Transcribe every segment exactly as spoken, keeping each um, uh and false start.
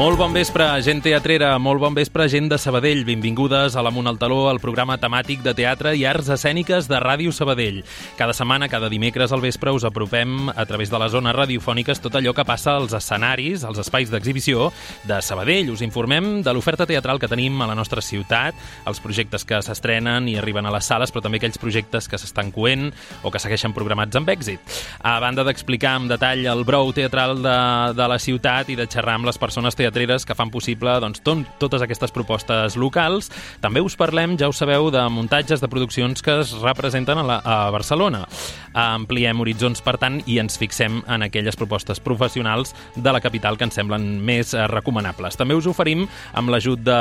Molt bon vespre, gent teatrera, molt bon vespre, gent de Sabadell. Benvingudes a l'Amunt al Taló, el programa temàtic de teatre i arts escèniques de Ràdio Sabadell. Cada setmana, cada dimecres al vespre, us apropem a través de les zones radiofòniques tot allò que passa als escenaris, als espais d'exhibició de Sabadell. Us informem de l'oferta teatral que tenim a la nostra ciutat, els projectes que s'estrenen i arriben a les sales, però també aquells projectes que s'estan coent o que segueixen programats amb èxit. A banda d'explicar amb detall el brou teatral de, de la ciutat i de xerrar amb les persones teatreres que fan possible doncs, tot, totes aquestes propostes locals, també us parlem, ja ho sabeu, de muntatges de produccions que es representen a, la, a Barcelona. Ampliem horitzons, per tant, i ens fixem en aquelles propostes professionals de la capital que ens semblen més eh, recomanables. També us oferim, amb l'ajut de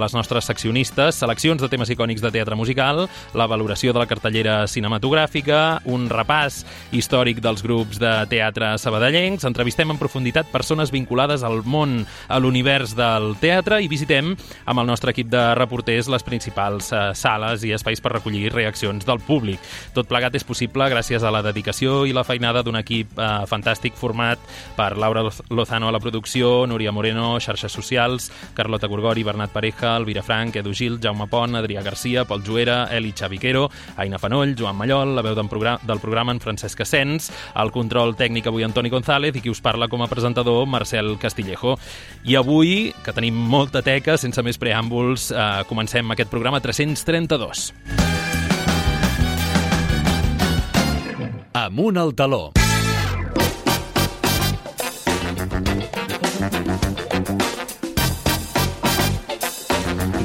les nostres seccionistes, seleccions de temes icònics de teatre musical, la valoració de la cartellera cinematogràfica, un repàs històric dels grups de teatre sabadellencs, entrevistem en profunditat persones vinculades al món, a l'univers del teatre, i visitem amb el nostre equip de reporters les principals eh, sales i espais per recollir reaccions del públic. Tot plegat és possible gràcies a la dedicació i la feinada d'un equip eh, fantàstic format per Laura Lozano a la producció, Núria Moreno, xarxes socials, Carlota Gorgori, Bernat Pareja, Elvira Frank, Edu Gil, Jaume Pont, Adrià Garcia, Pol Juera, Eli Xaviquero, Aina Fanoll, Joan Mallol, la veu del programa, del programa en Francesc Asens, el control tècnic avui Antoni González i qui us parla com a presentador Marcel Castillejo. I avui, que tenim molta teca, sense més preàmbuls, eh, comencem aquest programa tres-cents trenta-dos. Amunt al Taló.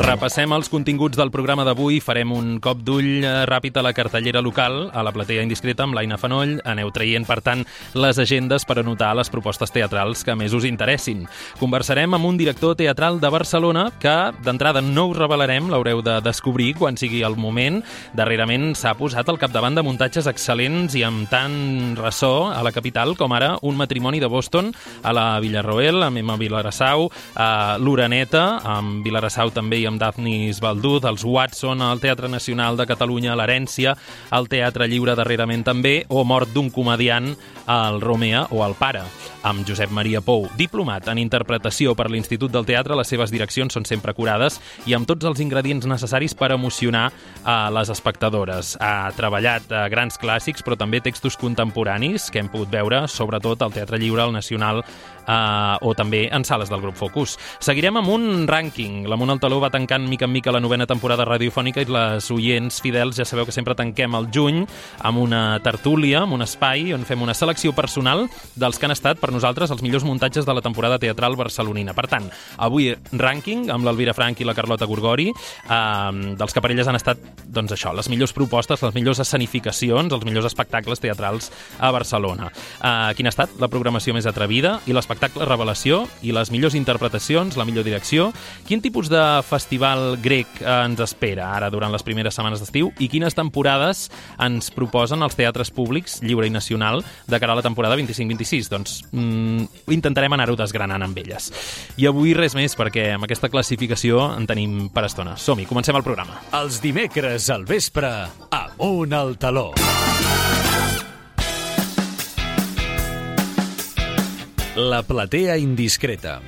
Repassem els continguts del programa d'avui, farem un cop d'ull ràpid a la cartellera local, a la platea indiscreta amb l'Aina Fanoll, aneu traient, per tant, les agendes per anotar les propostes teatrals que més us interessin. Conversarem amb un director teatral de Barcelona que, d'entrada, no us revelarem, l'haureu de descobrir quan sigui el moment. Darrerament s'ha posat al capdavant de muntatges excel·lents i amb tant ressò a la capital com ara Un matrimoni de Boston a la Villarroel, amb Emma Vilarassau, a l'Uraneta, amb Vilarassau també i amb Daphnis Balduz, els Watson al Teatre Nacional de Catalunya, l'Herència, al Teatre Lliure darrerament també, o Mort d'un comediant al Romea o al Pare, amb Josep Maria Pou. Diplomat en interpretació per l'Institut del Teatre, les seves direccions són sempre curades i amb tots els ingredients necessaris per emocionar a les espectadores. Ha treballat a grans clàssics, però també textos contemporanis que hem pogut veure, sobretot al Teatre Lliure, al Nacional, Uh, o també en sales del grup Focus. Seguirem amb un rànquing. L'Amunt al Taló va tancant mica en mica la novena temporada radiofònica i les oients fidels ja sabeu que sempre tanquem el juny amb una tertúlia, amb un espai on fem una selecció personal dels que han estat per nosaltres els millors muntatges de la temporada teatral barcelonina. Per tant, avui rànquing amb l'Elvira Frank i la Carlota Gorgori, uh, dels que per elles han estat, doncs això, les millors propostes, les millors escenificacions, els millors espectacles teatrals a Barcelona. Uh, quina ha estat la programació més atrevida i l'espectacle revelació i les millors interpretacions, la millor direcció? Quin tipus de festival grec ens espera ara durant les primeres setmanes d'estiu i quines temporades ens proposen els teatres públics, lliure i nacional, de cara a la temporada vint-i-cinc vint-i-sis? Doncs mm, intentarem anar-ho desgranant amb elles. I avui res més, perquè amb aquesta classificació en tenim per estona. Som-hi, comencem el programa. Els dimecres al vespre, Amunt al Taló. La platea indiscreta.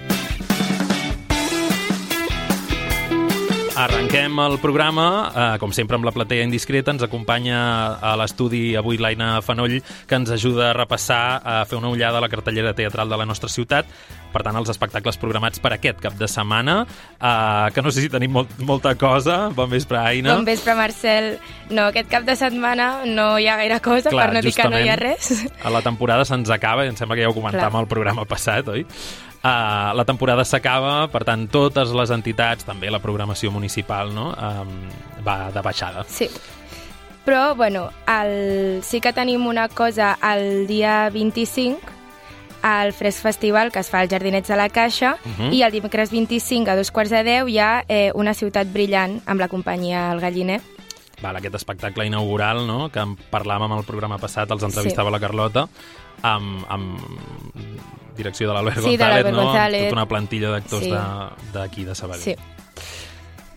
Arrenquem el programa, eh, com sempre amb la platea indiscreta. Ens acompanya a l'estudi avui l'Aina Fanoll, que ens ajuda a repassar, a fer una ullada a la cartellera teatral de la nostra ciutat. Per tant, els espectacles programats per aquest cap de setmana, eh, que no sé si tenim molt, molta cosa. Bon vespre, Aina. Bon vespre, Marcel. No, aquest cap de setmana no hi ha gaire cosa, clar, per no dir que no hi ha res. A la temporada se'ns acaba, i em sembla que ja ho comentàvem al programa passat, oi? Uh, la temporada s'acaba, per tant, totes les entitats, també la programació municipal, no? um, va de baixada. Sí. Però, bueno, el... sí que tenim una cosa el dia vint-i-cinc, al Fresc Festival, que es fa als Jardinets de la Caixa, uh-huh. i el dimecres vint-i-cinc a dos quarts de deu hi ha eh, Una ciutat brillant amb la companyia El Galliner. Val, aquest espectacle inaugural, no?, que parlàvem al programa passat, els entrevistava sí. la Carlota, amb, amb direcció de l'Albert sí, González, de no? González. Tota una plantilla d'actors sí. d'aquí, de, de Sabadell. Sí.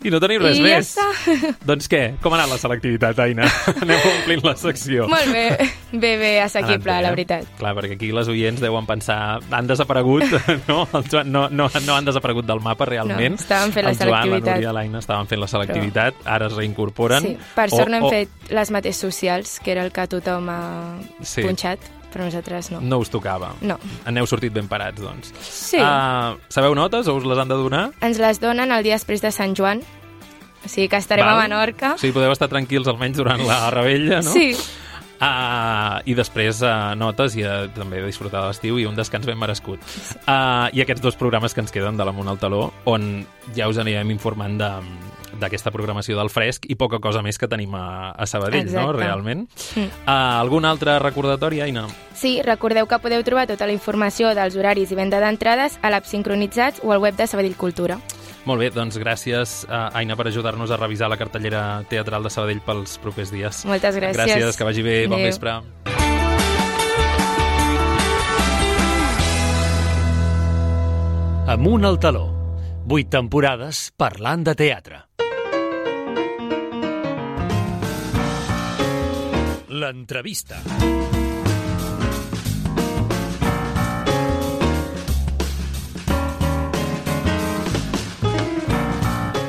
I no tenim res I ja més. està. Doncs què? Com ha anat la selectivitat, Aina? Anem omplint la secció. Molt bé, bé, bé, assequible, Anat bé, la eh? veritat. Clar, perquè aquí les oients deuen pensar han desaparegut, no? El Joan no, no, no han desaparegut del mapa realment. No, estaven fent la El Joan, la selectivitat. Núria, l'Aina estaven fent la selectivitat, Però... ara es reincorporen. Sí, per sort o, no hem o... fet les mateixes socials, que era el que tothom ha Sí. punxat, però nosaltres no. No us tocava. No. Aneu sortit ben parats, doncs. Sí. Uh, sabeu notes o us les han de donar? Ens les donen el dia després de Sant Joan, o sigui que estarem Val. a Menorca. Sí, podeu estar tranquils almenys durant la rebella, no? Sí. Uh, I després uh, notes i uh, també de disfrutar de l'estiu i un descans ben merescut. Uh, I aquests dos programes que ens queden de l'Amunt al Taló, on ja us anirem informant de d'aquesta programació del fresc i poca cosa més que tenim a, a Sabadell, Exacte. no? Realment. Mm. Uh, algun altre recordatori, Aina? Sí, recordeu que podeu trobar tota la informació dels horaris i venda d'entrades a l'app Sincronitzats o al web de Sabadell Cultura. Molt bé, doncs gràcies, uh, Aina, per ajudar-nos a revisar la cartellera teatral de Sabadell pels propers dies. Moltes gràcies. Gràcies, que vagi bé, bon Adéu. vespre. Amunt al taló. Vuit temporades parlant de teatre. L'entrevista.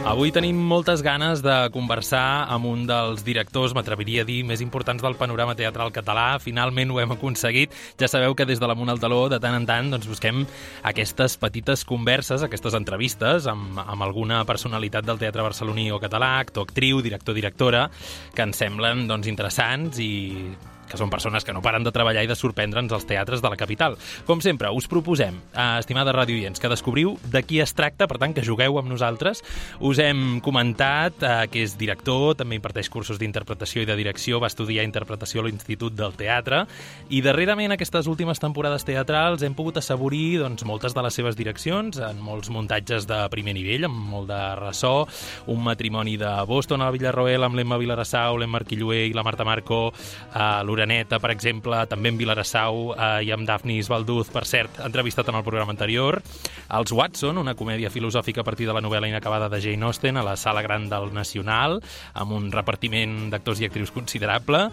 Avui tenim moltes ganes de conversar amb un dels directors, m'atreviria a dir, més importants del panorama teatral català. Finalment ho hem aconseguit. Ja sabeu que des de l'Amunt al Taló, de tant en tant, doncs busquem aquestes petites converses, aquestes entrevistes amb, amb alguna personalitat del teatre barceloní o català, actor, actriu, director, directora, que ens semblen doncs, interessants i que són persones que no paren de treballar i de sorprendre'ns als teatres de la capital. Com sempre, us proposem, eh, estimada radioients, que descobriu de qui es tracta, per tant, que jugueu amb nosaltres. Us hem comentat eh, que és director, també imparteix cursos d'interpretació i de direcció, va estudiar interpretació a l'Institut del Teatre, i darrerament, aquestes últimes temporades teatrals, hem pogut assaborir doncs, moltes de les seves direccions, en molts muntatges de primer nivell, amb molt de ressò, un matrimoni de Boston a Villarroel, amb l'Emma Vilarassau, l'Emma Arquillué i la Marta Marco, a l'Uraneta, per exemple, també en Vilarassau eh, i amb Dafnis Valduz, per cert, entrevistat en el programa anterior. Els Watson, una comèdia filosòfica a partir de la novel·la inacabada de Jane Austen, a la Sala Gran del Nacional, amb un repartiment d'actors i actrius considerable.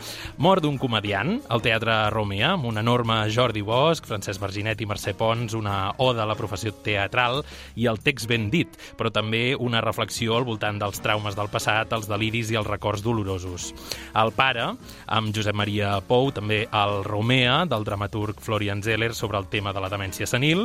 Mort d'un comediant, al Teatre Romea, amb un enorme Jordi Bosch, Francesc Verginet i Mercè Pons, una oda a la professió teatral i el text ben dit, però també una reflexió al voltant dels traumes del passat, els deliris i els records dolorosos. El pare, amb Josep Maria Pou, també el Romea, del dramaturg Florian Zeller, sobre el tema de la demència senil,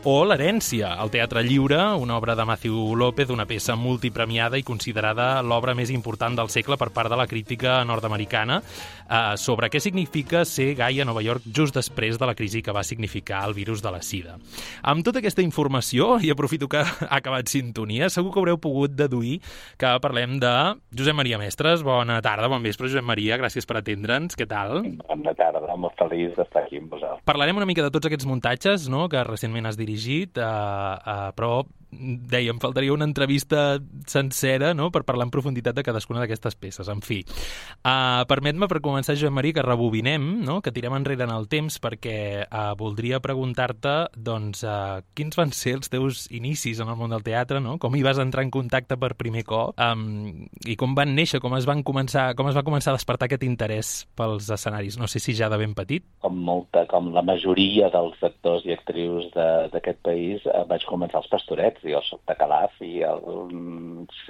o l'Herència, al Teatre Lliure, una obra de Matthew López, una peça multipremiada i considerada l'obra més important del segle per part de la crítica nord-americana, eh, sobre què significa ser gai a Nova York just després de la crisi que va significar el virus de la sida. Amb tota aquesta informació, i aprofito que ha acabat sintonia, segur que haureu pogut deduir que parlem de Josep Maria Mestres. Bona tarda, bon vespre, Josep Maria, gràcies per atendre'ns. Què tal? Bona tarda, molt feliç d'estar aquí amb vosaltres. Parlarem una mica de tots aquests muntatges, no?, que recentment has dirigit, uh, uh, però dèiem, faltaria una entrevista sencera, no?, per parlar en profunditat de cadascuna d'aquestes peces. En fi, uh, permet-me, per començar, Josep Maria, que rebobinem, no?, que tirem enrere en el temps, perquè uh, voldria preguntar-te, doncs, uh, quins van ser els teus inicis en el món del teatre, no?, com hi vas entrar en contacte per primer cop, um, i com van néixer, com es van començar, com es va començar a despertar aquest interès pels escenaris. No sé si ja de ben petit. Com molta, com la majoria dels actors i actrius d'aquest país, eh, vaig començar als Pastorets. Jo soc de Calaf i el,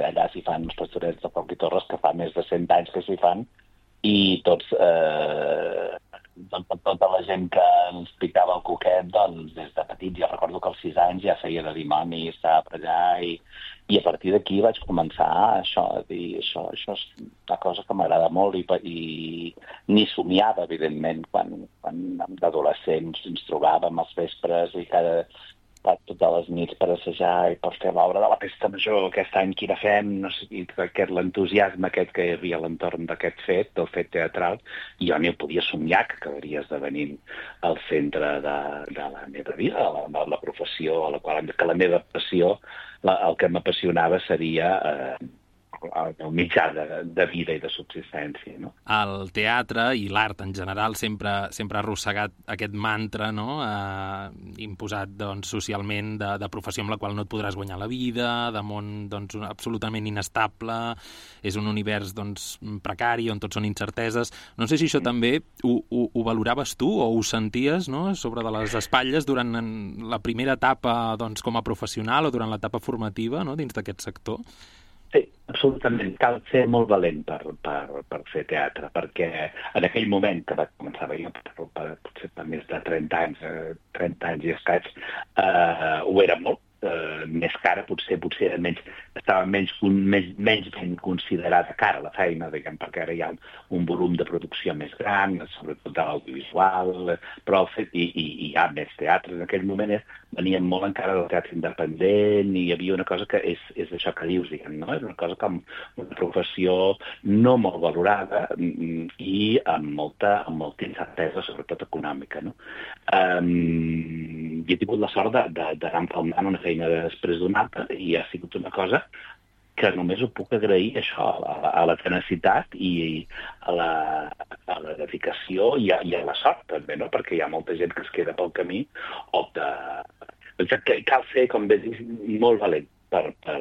allà s'hi fan els Pastorets de Foc i Torres, que fa més de cent anys que s'hi fan, i tots, eh, tota, tota la gent que ens picava el coquet, doncs, des de petit, jo recordo que als sis anys ja feia de dimoni, estava per allà, i, i a partir d'aquí vaig començar això, a dir, això, això és una cosa que m'agrada molt, i, i ni somiava, evidentment, quan, quan d'adolescents ens trobàvem als vespres i cada totes les nits per assajar i per fer l'obra de la Festa Major, aquest any que la fem, no sé, i aquest, l'entusiasme aquest que hi havia a l'entorn d'aquest fet, del fet teatral, i jo ni ho podia somiar que acabaria esdevenint el centre de, de la meva vida, de la, de la professió, a la qual, que la meva passió, la, el que m'apassionava seria eh, el meu mitjà de, de vida i de subsistència, no? El teatre i l'art en general sempre, sempre ha arrossegat aquest mantra, no?, eh, imposat doncs, socialment de, de professió amb la qual no et podràs guanyar la vida, de món doncs, absolutament inestable, és un univers doncs, precari on tot són incerteses. No sé si això també ho, ho, ho valoraves tu o ho senties, no?, sobre de les espatlles durant la primera etapa doncs, com a professional o durant l'etapa formativa, no?, dins d'aquest sector. Sí, absolutament. Cal ser molt valent per, per, per fer teatre, perquè en aquell moment que vaig començar jo, per, per, potser per més de trenta anys, trenta anys i escaig, eh, ho era molt, eh, més cara, potser, potser era menys, estava menys, menys, menys ben considerada cara la feina, diguem, perquè ara hi ha un, un volum de producció més gran, sobretot de l'audiovisual, però i, i, i hi ha més teatre. En aquell moment és, venien molt encara del teatre independent i hi havia una cosa que és, és això que dius, diguem, no? És una cosa com una professió no molt valorada i amb molta, amb molta incertesa, sobretot econòmica, no? Um, i he tingut la sort d'anar empalmant una feina després d'una altra i ha sigut una cosa que només ho puc agrair, això, a la, a la tenacitat i a la, a la dedicació i a, i a la sort, també, no? Perquè hi ha molta gent que es queda pel camí o de... que cal ser, com bé dius, molt valent per, per,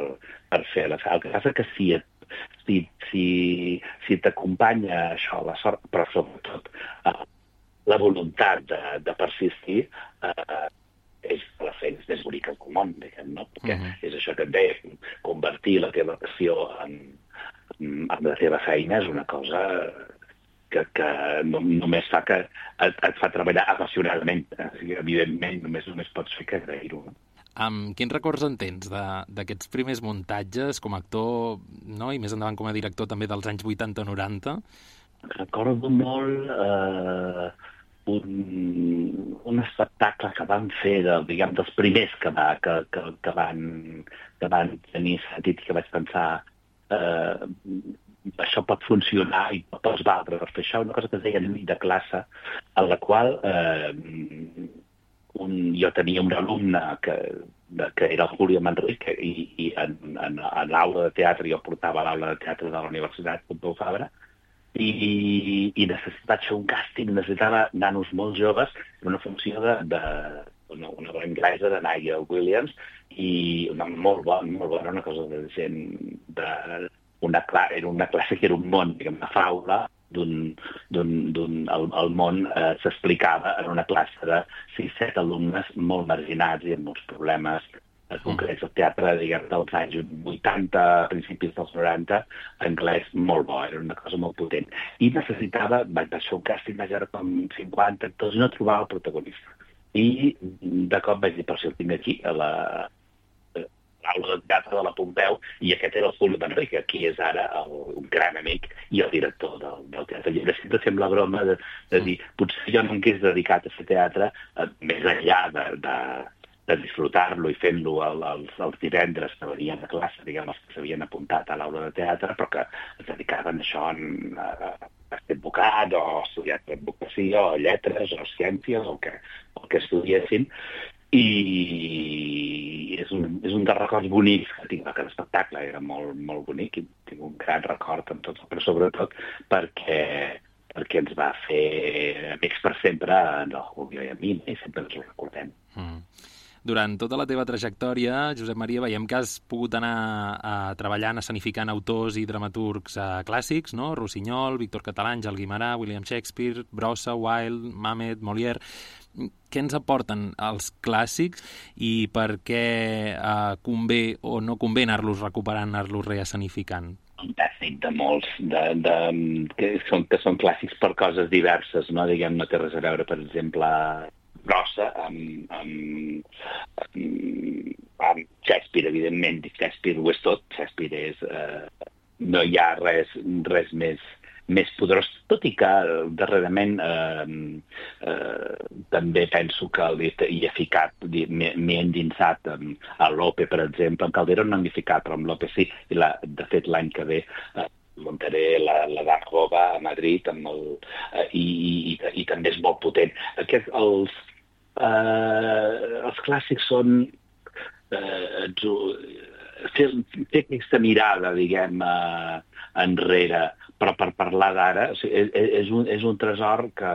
per fer la feina. El que passa que si, si, si, si t'acompanya això, la sort, però sobretot eh, la voluntat de, de persistir, eh, és la feina més bonica del món, diguem, no? Perquè uh -huh. és això que et deia, convertir la teva passió en, en la teva feina és una cosa que, que no, només fa que et, et fa treballar apassionadament. Evidentment, només només pots fer que agrair-ho. No? Um, quins records en tens d'aquests primers muntatges com a actor, no? I més endavant com a director també dels anys vuitanta noranta? Recordo molt... Eh... Un, un espectacle que van fer, de, diguem, dels primers que, va, que, que, que, van, que van tenir sentit i que vaig pensar eh, això pot funcionar i pots valdre per fer això, una cosa que es deia nit de classe, en la qual eh, un, jo tenia un alumne que, que era el Julio Manrique i, i en, en, en l'aula de teatre, jo portava l'aula de teatre de la Universitat Pompeu Fabra, i, i necessitava fer un càsting, necessitava nanos molt joves, una funció de, de una, una bona anglesa de Nigel Williams, i una molt bona, molt bona, una cosa de gent de una, era una classe que era un món, diguem, una faula, d'un, d'un, d'un, el, el món eh, s'explicava en una classe de sis set alumnes molt marginats i amb molts problemes en concret el teatre, diguem, dels anys vuitanta, principis dels noranta, anglès molt bo, era una cosa molt potent. I necessitava, vaig fer un càsting, vaig veure com cinquanta actors i no trobava el protagonista. I de cop vaig dir, però si el tinc aquí, a la l'aula de teatre de la Pompeu, i aquest era el Julio Manrique, qui és ara el, un gran amic i el director del, del Teatre Lliure. Sempre fem la broma de, de dir, potser jo no em hagués dedicat a fer teatre, eh, més enllà de, de, de disfrutar-lo i fent-lo els, els divendres que venien a classe, diguem, els que s'havien apuntat a l'aula de teatre, però que es dedicaven a això en, a, a ser advocat o estudiar advocacia o lletres o ciències o el que, el que estudiessin. I és un, és un dels records bonics que tinc d'aquest espectacle, era molt, molt bonic i tinc un gran record amb tot, però sobretot perquè, perquè ens va fer amics per sempre en el Julio i a mi, i sempre ens ho recordem. Mm. Durant tota la teva trajectòria, Josep Maria, veiem que has pogut anar a, treballant, escenificant autors i dramaturgs uh, clàssics, no? Rossinyol, Víctor Català, Àngel Guimerà, William Shakespeare, Brossa, Wilde, Mamet, Molière. Què ens aporten els clàssics i per què uh, convé o no convé anar-los recuperant, anar-los reescenificant? Un tècnic de molts, de, de, que, són, que són clàssics per coses diverses, no? Diguem, no té res a veure, per exemple, Brossa amb, amb, amb, amb Shakespeare, evidentment. Shakespeare ho és tot. Shakespeare és... Eh, no hi ha res, res més, més poderós, tot i que darrerament eh, eh, també penso que hi he ficat, m'he endinsat a Lope, per exemple. En Calderón no m'he ficat, però amb Lope sí. I la, de fet, l'any que ve... Eh, muntaré la, la Dargova a Madrid amb el, eh, i, i, i també és molt potent. Aquest, els, eh, els clàssics són eh, fer, fer aquesta mirada, diguem, uh, enrere, però per parlar d'ara, o sigui, és, és, un, és un tresor que,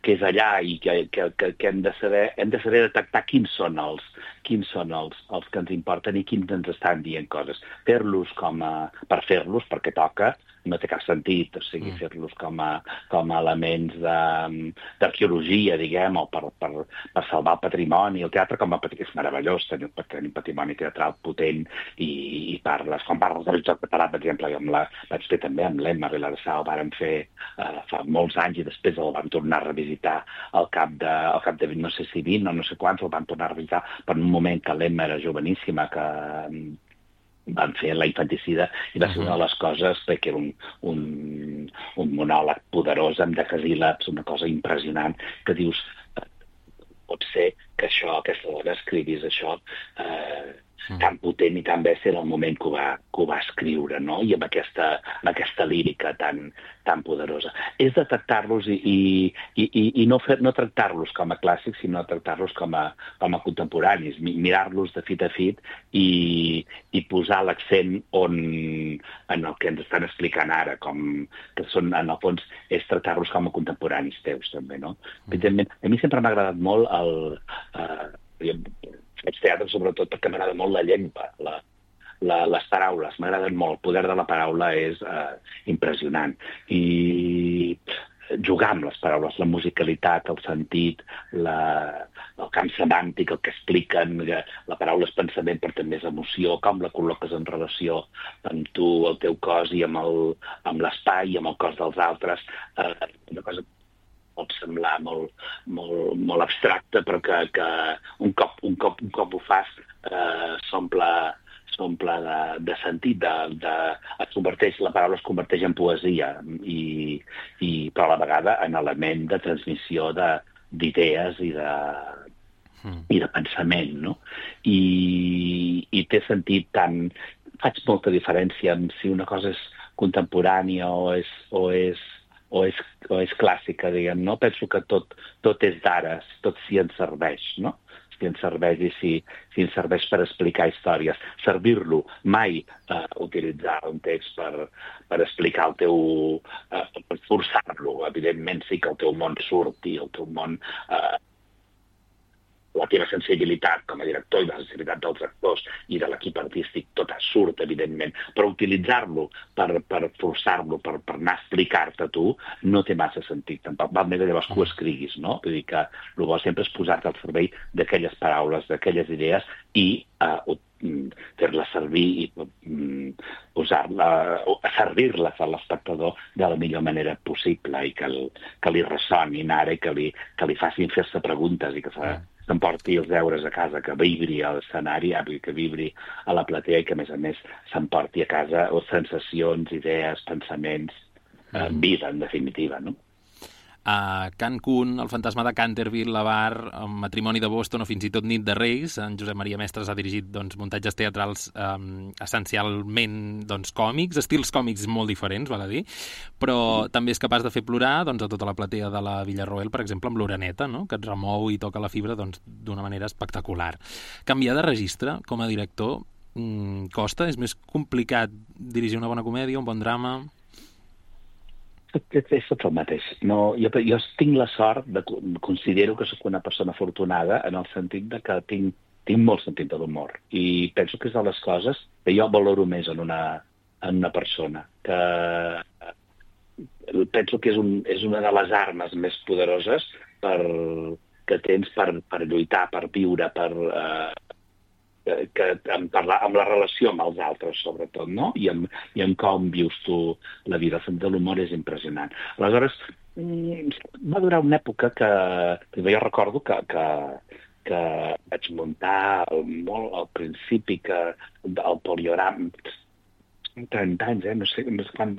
que és allà i que, que, que, que hem de saber hem de saber detectar quins són els quins són els, els que ens importen i quins ens estan dient coses. Fer-los com a, per fer-los, perquè toca, no té cap sentit, o sigui, mm. fer-los com a, com a elements d'arqueologia, diguem, o per, per, per salvar el patrimoni. El teatre com a patrimoni és meravellós, tenir, tenir un patrimoni teatral potent i, i parles. Quan parles del joc català, per exemple, amb la, vaig fer també amb l'Emma Vilarsal, ho vàrem fer uh, fa molts anys i després el vam tornar a revisitar al cap de, al cap de no sé si vint o no sé quants, el vam tornar a revisitar per un moment que l'Emma era joveníssima, que van fer la infanticida i va ser una de les coses perquè era un, un, un monòleg poderós amb decasíl·labs, una cosa impressionant, que dius, eh, pot ser que això, aquesta dona escrivís això eh, tan potent i tan bèstia en el moment que ho va, que ho va escriure, no? I amb aquesta, amb aquesta lírica tan, tan poderosa. És detectar-los i, i, i, i no, fer, no tractar-los com a clàssics, sinó tractar-los com a, com a contemporanis, mirar-los de fit a fit i, i posar l'accent on, en el que ens estan explicant ara, com que són, en el fons, és tractar-los com a contemporanis teus, també, no? Mm. Evidentment, a mi sempre m'ha agradat molt el... Eh, faig teatre sobretot perquè m'agrada molt la llengua, la, la, les paraules, m'agraden molt. El poder de la paraula és eh, impressionant. I jugar amb les paraules, la musicalitat, el sentit, la, el camp semàntic, el que expliquen, la paraula és pensament però també és emoció, com la col·loques en relació amb tu, el teu cos i amb el, amb l'espai i amb el cos dels altres. Eh, una cosa pot semblar molt, molt, molt abstracte, però que, que un, cop, un, cop, un cop ho fas eh, s'omple s'omple de, de sentit, de, de, es converteix, la paraula es converteix en poesia, i, i, però a la vegada en element de transmissió d'idees i de, mm. i de pensament, no? I, i té sentit tant... Faig molta diferència amb si una cosa és contemporània o és... O és O és, o és clàssica, diguem, no? Penso que tot, tot és d'ara, tot si ens serveix, no? Si ens serveix i si, si ens serveix per explicar històries. Servir-lo, mai eh, utilitzar un text per, per explicar el teu... Eh, per forçar-lo. Evidentment sí que el teu món surti, el teu món... Eh, la teva sensibilitat com a director i la sensibilitat dels actors i de l'equip artístic, tot surt, evidentment, però utilitzar-lo per, per forçar-lo, per, per anar a explicar-te a tu, no té massa sentit. Tampoc val més llavors que ho escriguis, no? Vull dir que el bo sempre és posar-te al servei d'aquelles paraules, d'aquelles idees i uh, fer-les servir i um, usar-la, servir-les a l'espectador de la millor manera possible i que, el, que li ressonin ara i que li, que li facin fer-se preguntes i que s'ha s'emporti els deures a casa, que vibri a l'escenari, que vibri a la platea i que, a més a més, s'emporti a casa o sensacions, idees, pensaments, eh, vida, en definitiva, no? A Cancún, El fantasma de Canterville, La Bar, El matrimoni de Boston o fins i tot Nit de Reis, en Josep Maria Mestres ha dirigit doncs, muntatges teatrals eh, essencialment doncs, còmics, estils còmics molt diferents, val a dir, però mm. també és capaç de fer plorar doncs, a tota la platea de la Villarroel, per exemple, amb l'Oreneta, no? Que et remou i toca la fibra doncs, d'una manera espectacular. Canviar de registre com a director mmm, costa? És més complicat dirigir una bona comèdia, un bon drama? És tot el mateix. No, jo, jo tinc la sort, de, considero que sóc una persona afortunada en el sentit de que tinc, tinc molt sentit de l'humor i penso que és de les coses que jo valoro més en una, en una persona. Que penso que és, un, és una de les armes més poderoses per, que tens per, per lluitar, per viure, per... Eh, que amb, parlar, amb la relació amb els altres, sobretot, no? I amb, i amb com vius tu la vida. El sentit de l'humor és impressionant. Aleshores, va durar una època que... Jo recordo que, que, que vaig muntar molt al principi que el poliorama... trenta anys, eh? No sé, no sé quan...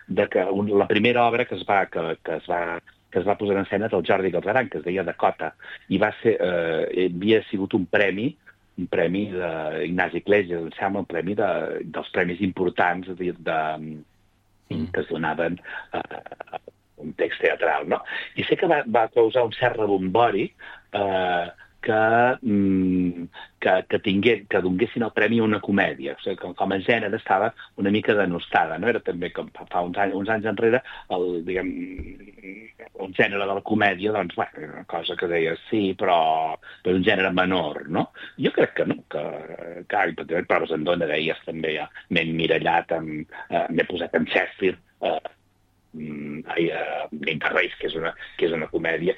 De que un, la primera obra que es va... Que, que es va que es va posar en escena del Jordi Galzeran, que es deia Dakota, i va ser... Eh, havia sigut un premi un premi d'Ignasi Iglesias, em sembla, un premi de, dels premis importants de, de, mm. que es donaven a uh, un text teatral, no? I sé que va, va causar un cert rebombori eh, que, mm, que, que, tingués, que donguessin el premi a una comèdia. O sigui, com, com a gènere estava una mica denostada, no? Era també com fa uns anys, uns anys enrere el, diguem, un gènere de la comèdia, doncs, bueno, una cosa que deia sí, però per un gènere menor, no? Jo crec que no, que, que per Proves en Dona deies també, ja m'he emmirallat, eh, m'he posat en Shakespeare, eh, Ai, uh, Interrace, que és una, que és una comèdia,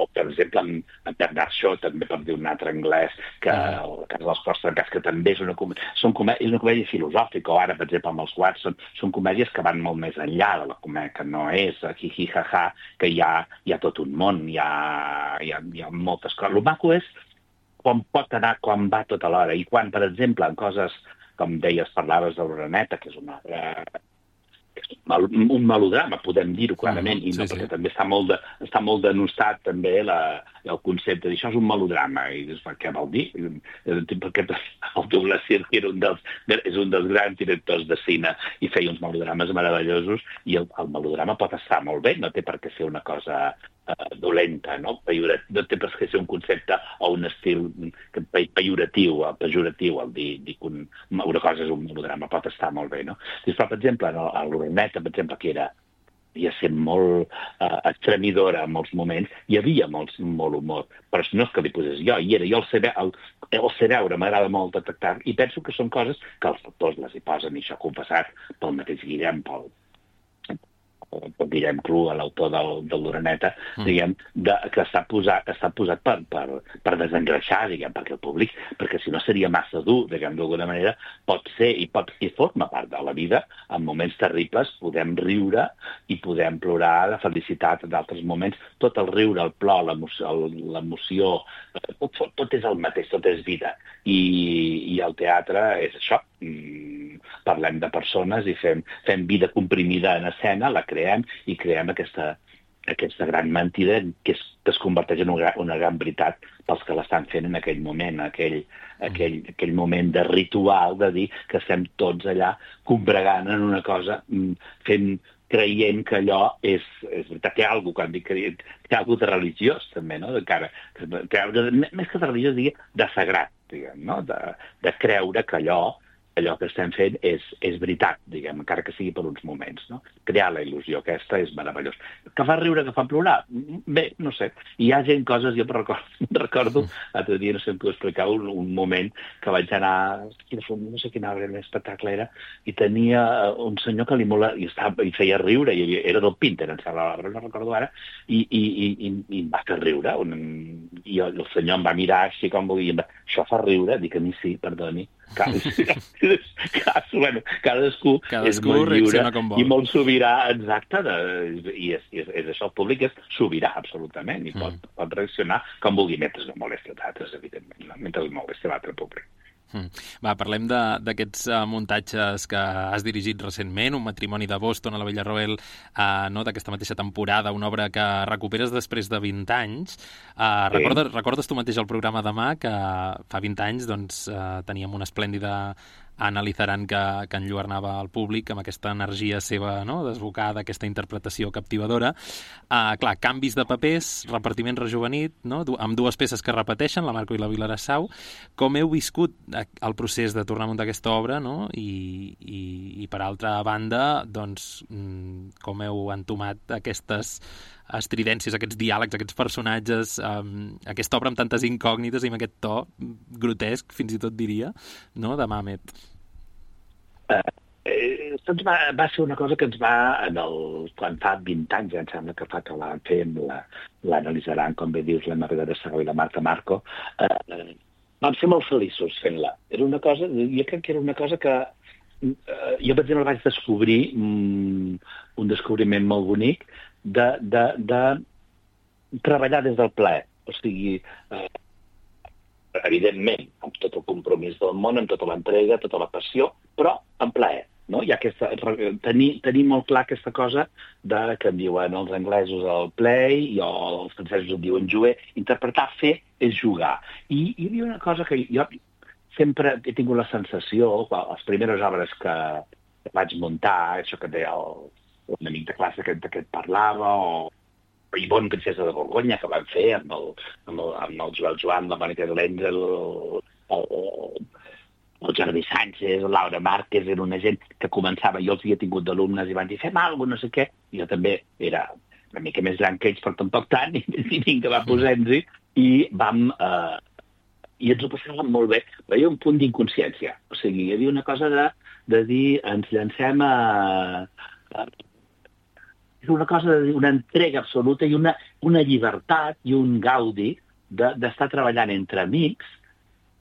o per exemple en, en Bernard Shaw, també per dir un altre anglès, que uh-huh. el cas dels Cors Trencats, que també és una, comèdia, són comèdia, és una comèdia filosòfica, o ara, per exemple, amb els Watson, són comèdies que van molt més enllà de la comèdia, que no és hi-hi, ha-ha, que hi ha, hi ha tot un món, hi ha, hi ha, hi ha moltes coses. El maco és quan pot anar, quan va tot alhora, i quan, per exemple, en coses, com deies, parlaves de l'Oreneta, que és una... Eh, un melodrama, podem dir-ho clarament, uh-huh, i no, sí, perquè sí. també està molt, de, està molt denostat també la, el concepte d'això és un melodrama, i dius, què vol dir? Perquè el Douglas Sirk era un dels, és un dels grans directors de cine i feia uns melodrames meravellosos, i el, el melodrama pot estar molt bé, no té per què ser una cosa uh, dolenta, no? No té per què ser un concepte o un estil pejoratiu, pejoratiu el dir, dir que un, una cosa és un melodrama, pot estar molt bé, no? Però, per exemple, a l'Oreneta, per exemple, que era havia sent molt uh, extremidora en molts moments, hi havia molt, molt humor, però no és que li posés jo, hi era, jo el sé, el, el sé veure, m'agrada molt detectar, i penso que són coses que els autors les hi posen, i això confessat pel mateix Guillem, pel, pel Guillem Clu, l'autor del, del l'Oreneta, mm. diguem, de, que està posat, està posat per, per, per desengreixar, diguem, perquè el públic, perquè si no seria massa dur, diguem, d'alguna manera, pot ser i pot i forma part de la vida, en moments terribles podem riure i podem plorar de felicitat en d'altres moments, tot el riure, el plor, l'emoció, tot, tot és el mateix, tot és vida, i, i el teatre és això, parlem de persones i fem, fem vida comprimida en escena, la creem i creem aquesta, aquesta gran mentida que es, que es converteix en una, una gran veritat pels que l'estan fent en aquell moment, aquell, aquell, aquell moment de ritual de dir que estem tots allà combregant en una cosa, fent, creient que allò és, és veritat. Té alguna cosa, quan dic que té alguna de religiós, també, no? Encara, té, més que de religiós, digui, de sagrat, diguem, no? De, de creure que allò allò que estem fent és, és veritat, diguem, encara que sigui per uns moments, no? Crear la il·lusió aquesta és meravellós. Que fa riure, que fa plorar? Bé, no sé. Hi ha gent, coses, jo recordo, recordo l'altre dia, no sé si t'ho explicava, un, un moment que vaig anar, no sé quin arbre l'espectacle era, i tenia un senyor que li mola, i, estava, i feia riure, i era del Pinter, em sembla, l'arbre, no recordo ara, i, i, i, i, i em va fer riure, un, i el senyor em va mirar així com volia, va, això fa riure? Dic a mi sí, perdoni. Cadascú, bueno, cadascú, cadascú és molt lliure i molt sobirà, exacte, de, i és, és, és això, el públic és sobirà, absolutament, i pot, mm. pot reaccionar com vulgui, mentre no molesti els altres, evidentment, no? Mentre no molesti l'altre públic. Mm. Va, parlem d'aquests uh, muntatges que has dirigit recentment, Un matrimoni de Boston a la Villarroel, uh, no, d'aquesta mateixa temporada, una obra que recuperes després de vint anys. Uh, sí. recordes, recordes tu mateix el programa Demà, que fa vint anys doncs, uh, teníem una esplèndida Anna Lizaran que, que enlluernava al públic amb aquesta energia seva, no?, desbocada, aquesta interpretació captivadora. Uh, clar, canvis de papers, repartiment rejuvenit, no?, amb dues peces que repeteixen, la Marco i la Vilarassau. Com heu viscut el procés de tornar a muntar aquesta obra, no?, i, i, i per altra banda, doncs, com heu entomat aquestes estridències, aquests diàlegs, aquests personatges, um, aquesta obra amb tantes incògnites i amb aquest to grotesc, fins i tot diria, no?, de Mamet. Uh, eh, doncs va, va ser una cosa que ens va, en el, quan fa vint anys, ja em sembla que fa que la fem, l'analitzaran, com bé dius, la Margarida Sagó i la Marta Marco, uh, vam ser molt feliços fent-la. Era una cosa, jo crec que era una cosa que uh, jo, per exemple, vaig descobrir um, un descobriment molt bonic, De, de, de treballar des del plaer. O sigui, eh, evidentment, amb tot el compromís del món, amb tota l'entrega, tota la passió, però amb plaer. No? Hi ha aquesta, tenir, tenir molt clar aquesta cosa de, que en diuen els anglesos el play, i els francesos en diuen jouer. Interpretar, fer, és jugar. I, i hi havia una cosa que jo sempre he tingut la sensació, les primeres obres que vaig muntar, això que deia el un amic de classe que, que et parlava, o Ivonne, princesa de Borgonya, que van fer amb el, amb el, amb el Joel Joan, la Mònica Lenz, el, el, el Jordi Sánchez, Laura Márquez, era una gent que començava, jo els havia tingut d'alumnes i van dir, fem alguna cosa, no sé què. Jo també era una mica més gran que ells, però tampoc tant, i, i vinga, va, posem-hi, i vam... Eh, i ens ho passàvem molt bé. Però hi havia un punt d'inconsciència. O sigui, hi havia una cosa de, de dir, ens llancem a... a és una cosa de dir, una entrega absoluta i una, una llibertat i un gaudi d'estar de, treballant entre amics,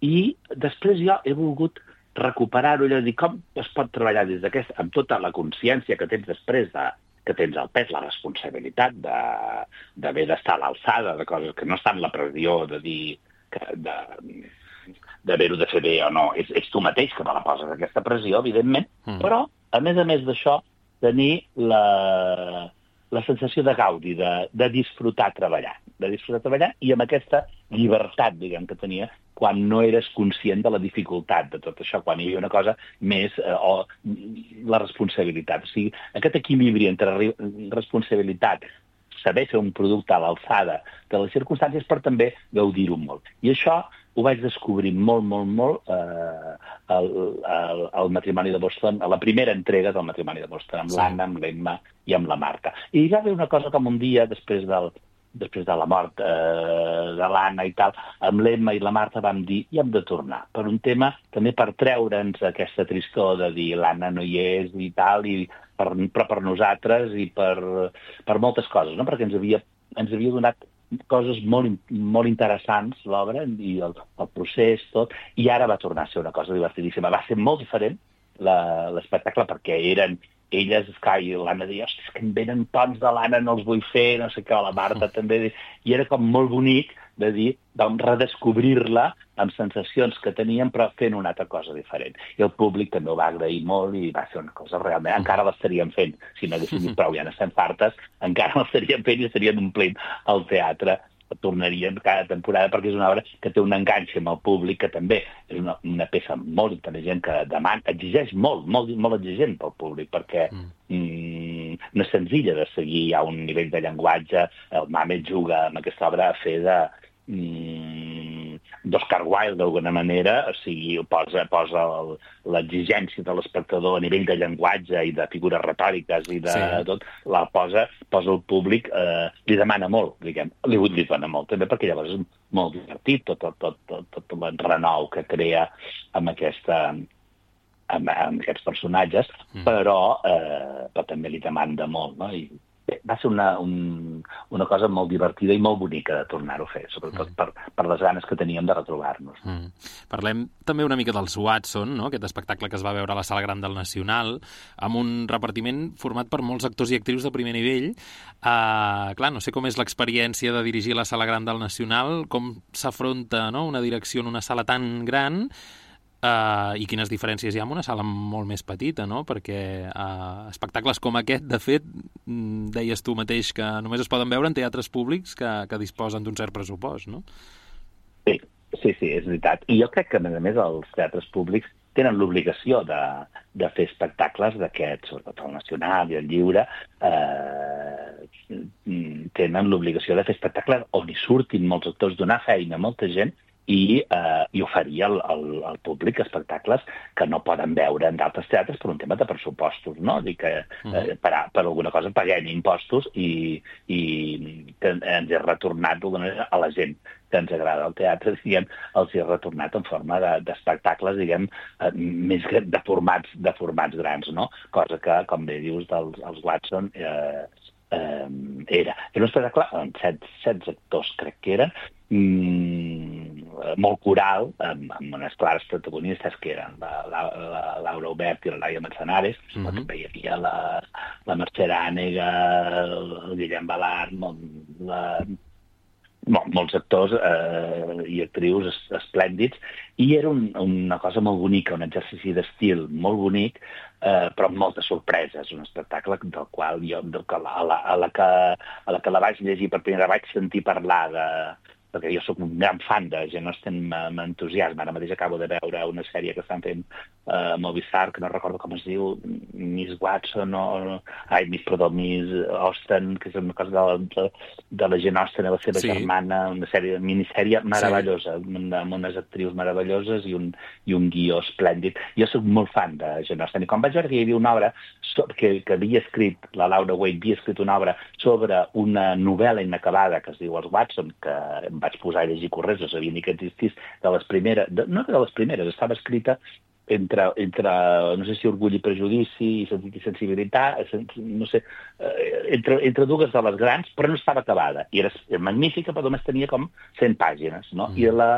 i després jo he volgut recuperar-ho i dir com es pot treballar des d'aquesta, amb tota la consciència que tens després de, que tens el pes, la responsabilitat d'haver d'estar a l'alçada de coses que no estan la pressió de dir que de d'haver-ho de fer bé o no. És, és tu mateix que te la poses aquesta pressió, evidentment, mm. però, a més a més d'això, tenir la, la sensació de gaudi, de, de disfrutar treballant, de disfrutar treballant i amb aquesta llibertat, diguem, que tenia quan no eres conscient de la dificultat de tot això, quan hi havia una cosa més, eh, o la responsabilitat. O sigui, aquest equilibri entre responsabilitat, saber fer un producte a l'alçada de les circumstàncies, per també gaudir-ho molt. I això ho vaig descobrir molt, molt, molt eh, al, al, al matrimoni de Boston, a la primera entrega del matrimoni de Boston, amb sí. l'Anna, amb l'Emma i amb la Marta. I hi va haver una cosa com un dia, després, del, després de la mort eh, de l'Anna i tal, amb l'Emma i la Marta vam dir, i hem de tornar, per un tema, també per treure'ns aquesta tristor de dir l'Anna no hi és i tal, i per, però per nosaltres i per, per moltes coses, no? Perquè ens havia, ens havia donat coses molt, molt interessants, l'obra, i el, el procés, tot, i ara va tornar a ser una cosa divertidíssima. Va ser molt diferent l'espectacle, perquè eren elles, esclar, i l'Anna deia, ostres, que em venen tons de l'Anna, no els vull fer, no sé què, la Marta també, i era com molt bonic de dir, vam redescobrir-la amb sensacions que teníem, però fent una altra cosa diferent. I el públic també ho va agrair molt i va ser una cosa realment... Encara l'estaríem fent, si no haguéssim dit prou, ja n'estem fartes, encara l'estaríem fent i estaríem omplint el teatre, tornaríem cada temporada, perquè és una obra que té un enganxe amb el públic, que també és una, una peça molt intel·ligent, que demana, exigeix molt, molt, molt exigent pel públic, perquè mm. Mm, no és senzilla de seguir a un nivell de llenguatge. El Mamet juga amb aquesta obra a fer de mm, d'Oscar Wilde, d'alguna manera, o sigui, posa, posa l'exigència de l'espectador a nivell de llenguatge i de figures retòriques i de sí. tot, la posa, posa el públic, eh, li demana molt, diguem, li, li dona molt, també, perquè llavors és molt divertit tot, tot, tot, tot, tot el renou que crea amb aquesta... amb, amb aquests personatges, mm. però, eh, però també li demanda molt, no? I bé, va ser una, un, una cosa molt divertida i molt bonica de tornar-ho a fer, sobretot mm. per, per les ganes que teníem de retrobar-nos. Mm. Parlem també una mica dels Watson, no? Aquest espectacle que es va veure a la Sala Gran del Nacional, amb un repartiment format per molts actors i actrius de primer nivell. Uh, clar, no sé com és l'experiència de dirigir la Sala Gran del Nacional, com s'afronta, no?, una direcció en una sala tan gran, Uh, i quines diferències hi ha amb una sala molt més petita, no? Perquè uh, espectacles com aquest, de fet, deies tu mateix que només es poden veure en teatres públics que, que disposen d'un cert pressupost, no? Sí, sí, sí, és veritat. I jo crec que, a més a més, els teatres públics tenen l'obligació de, de fer espectacles d'aquests, sobretot el Nacional i el Lliure, eh, tenen l'obligació de fer espectacles on hi surtin molts actors, donar feina a molta gent, i, eh, i oferir al, al, al públic espectacles que no poden veure en d'altres teatres per un tema de pressupostos, no? Dir que eh, per, per alguna cosa paguem impostos i, i que ens he retornat a la gent que ens agrada el teatre, diguem, els he retornat en forma d'espectacles, de, diguem, eh, més de formats, de formats grans, no? Cosa que, com bé dius, dels els Watson eh, eh, era. Era un espectacle amb set, set actors, crec que eren, mm, molt coral, amb, amb unes clares protagonistes que eren la, la, la Laura Obert i la Laia Manzanares, mm -hmm. també hi havia la, la Mercè Ànega, el Guillem Balart, la... Bon, molts actors eh, i actrius es, esplèndids, i era un, una cosa molt bonica, un exercici d'estil molt bonic, eh, però amb moltes sorpreses, un espectacle del qual jo, del que, a, la, a, la que, a la que la vaig llegir per primera vaig sentir parlar de, perquè jo sóc un gran fan de Jane Austen, m'entusiasma. Ara mateix acabo de veure una sèrie que estan fent a uh, Movistar, que no recordo com es diu, Miss Watson o... Ai, Miss, perdó, Miss Austen, que és una cosa de, de, de la Jane Austen i la seva sí. germana, una sèrie, minissèrie meravellosa, sí. amb unes actrius meravelloses i un, i un guió esplèndid. Jo sóc molt fan de Jane Austen, i quan vaig veure que hi havia una obra que, que havia escrit, la Laura Waite havia escrit una obra sobre una novel·la inacabada que es diu Els Watson, que em vaig posar a llegir corrents, no sabia ni que existís, de les primeres, de, no de les primeres, estava escrita entre, entre, no sé si orgull i prejudici i sensibilitat, no sé, entre, entre dues de les grans, però no estava acabada. I era magnífica, però només tenia com cent pàgines, no? Mm. I la,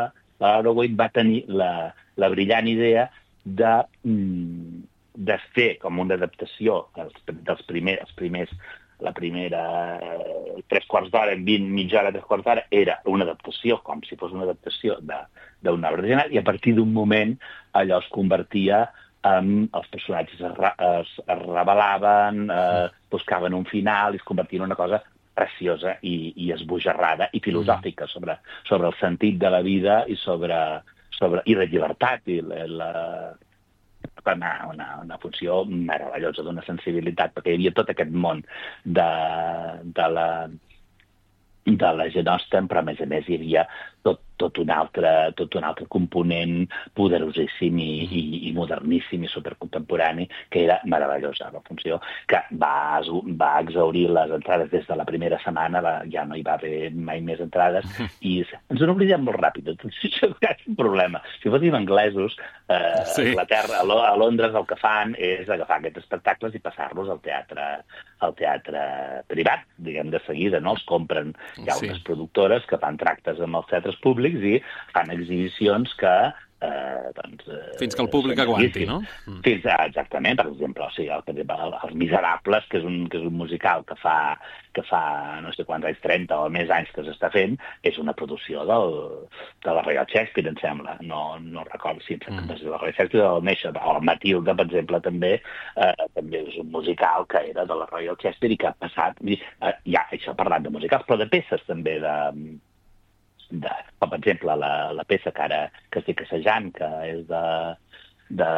la Laura Waite va tenir la, la brillant idea de, de fer com una adaptació dels, dels primers, els primers la primera tres quarts d'hora, en vint, mitja hora, tres quarts d'hora, era una adaptació, com si fos una adaptació d'una obra original, i a partir d'un moment allò es convertia en... els personatges es, es, es revelaven, eh, buscaven un final, i es convertia en una cosa preciosa i, i esbojarrada i filosòfica sobre, sobre el sentit de la vida i sobre, sobre i de llibertat i la... la Una, una, una funció meravellosa, d'una sensibilitat, perquè hi havia tot aquest món de, de la de la Jane Austen, però a més a més hi havia tot, tot, un, altre, tot un altre component poderosíssim i, i, i moderníssim i supercontemporani, que era meravellosa la funció, que va, va exhaurir les entrades des de la primera setmana, va, ja no hi va haver mai més entrades, i ens n'oblidem molt ràpid. Això és un problema. Si fóssim anglesos, eh, sí. a Anglaterra, a, a Londres, el que fan és agafar aquests espectacles i passar-los al teatre, al teatre privat, diguem, de seguida, no? Els compren. Hi ha unes sí. productores que fan tractes amb els teatres públics i fan exhibicions que... Eh, doncs, eh, fins que el públic aguanti, no? Fins a, exactament, per exemple, o sigui, el, el, els Miserables, que és, un, que és un musical que fa, que fa no sé quants anys, trenta o més anys que s'està fent, és una producció del, de la Royal Shakespeare, em sembla. No, no recordo si mm. és de la Royal Shakespeare o del Nation, o el Matilda, per exemple, també, eh, també és un musical que era de la Royal Shakespeare i que ha passat, eh, ja, això parlant de musicals, però de peces també de... De, com per exemple la, la peça que ara que estic assajant, que és de, de,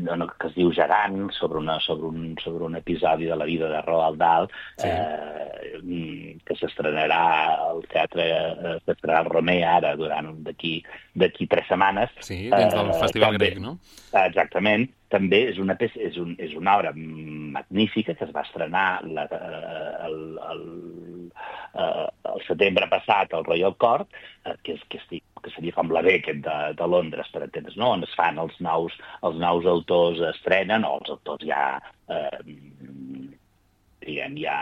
de que es diu Gerant, sobre, una, sobre, un, sobre un episodi de la vida de Roald Dahl, sí. eh, que s'estrenarà al teatre, eh, s'estrenarà al Romer ara durant d'aquí d'aquí tres setmanes. Sí, dins del eh, Festival també, Grec, no? Exactament. També és una, peça, és, un, és una obra magnífica que es va estrenar la, el, el, el, el setembre passat al Royal Court, que, és, que, estic, que seria com la Beckett de, de Londres, per entendre's, no? On es fan els nous, els nous autors estrenen, o els autors ja, eh, diguem, ja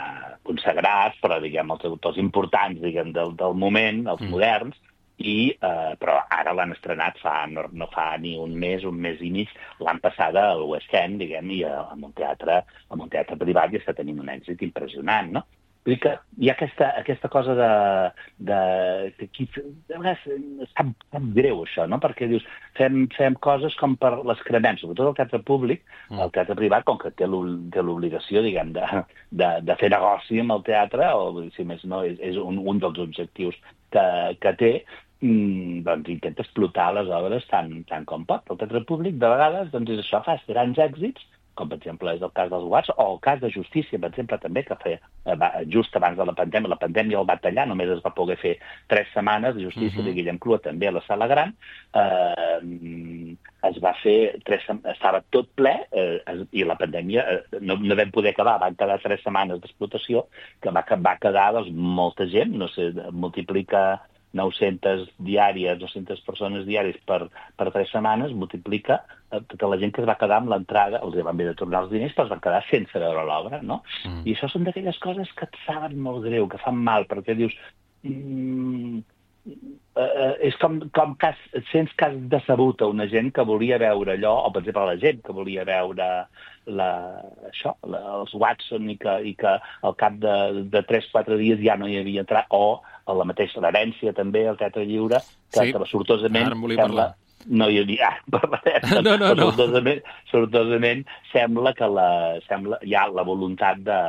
consagrats, però diguem, els autors importants diguem, del, del moment, els mm. moderns, i, eh, però ara l'han estrenat fa, no, no fa ni un mes, un mes i mig, l'han passada al West End, diguem, i en un teatre, en un teatre privat i està tenint un èxit impressionant, no? Vull dir que hi ha aquesta, aquesta cosa de... de que aquí, de vegades, és tan, tan greu, això, no? Perquè dius, fem, fem coses com per l'excrement, sobretot el teatre públic, mm. el teatre privat, com que té l'obligació, diguem, de, de, de fer negoci amb el teatre, o si més no, és, és un, un dels objectius que, que té, Mm, doncs intenta explotar les obres tant, tant com pot. El teatre públic, de vegades, doncs és això, fa grans èxits, com per exemple és el cas dels Watts, o el cas de Justícia, per exemple, també, que feia, just abans de la pandèmia, la pandèmia el va tallar, només es va poder fer tres setmanes, de Justícia uh -huh. de Guillem Clua, també a la Sala Gran, eh, es va fer, tres, estava tot ple, eh, i la pandèmia eh, no, no vam poder acabar, van quedar tres setmanes d'explotació, que va, va quedar doncs, molta gent, no sé, multiplica nou-centes diàries, dos-centes persones diàries per, per tres setmanes, multiplica eh, tota la gent que es va quedar amb l'entrada, els van haver de tornar els diners, però es van quedar sense veure l'obra, no? Mm. I això són d'aquelles coses que et saben molt greu, que fan mal, perquè dius... Mm, eh, és com, com que has, sents que has decebut a una gent que volia veure allò, o per exemple la gent que volia veure la, això, la, els Watson i que, i que al cap de, de tres o quatre dies ja no hi havia entrat, o a la mateixa l'herència també, el Teatre Lliure, que, sí. que sortosament sembla... No hi havia... Ah, parlarem. No, no, no. Sortosament, sortosament sembla que la, sembla, hi ha la voluntat de,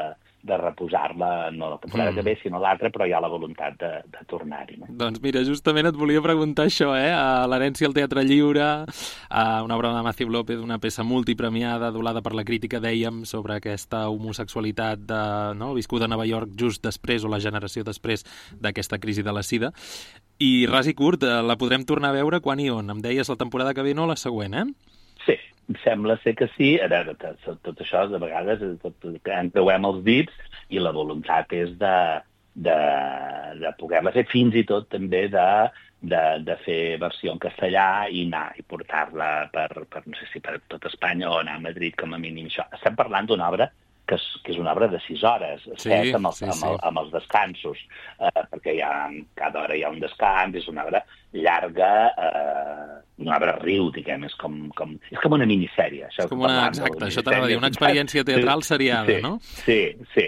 de reposar-la, no la temporada mm. que ve, sinó l'altra, però hi ha la voluntat de, de tornar-hi. No? Doncs mira, justament et volia preguntar això, eh? A l'herència al teatre lliure, a una obra de Matthew López, una peça multipremiada, adolada per la crítica, dèiem, sobre aquesta homosexualitat de, no? viscuda a Nova York just després, o la generació després d'aquesta crisi de la sida. I ras i curt, la podrem tornar a veure quan i on? Em deies la temporada que ve, no la següent, eh? Sí, sembla ser que sí. A veure, tot això, de vegades, tot, en creuem els dits i la voluntat és de, de, de poder-la fer, fins i tot també de, de, de fer versió en castellà i anar i portar-la per, per, no sé si per tot Espanya o anar a Madrid com a mínim. Això. Estem parlant d'una obra que és, que és una obra de sis hores, sí, set amb, els, sí, amb, el, amb els descansos, eh, perquè hi ha, cada hora hi ha un descans, és una obra llarga, eh, una obra riu, diguem, és com, com, és com una minissèrie. Això és com una, exacte, això t'anava a dir, una experiència teatral seriada, sí, no? Sí, sí,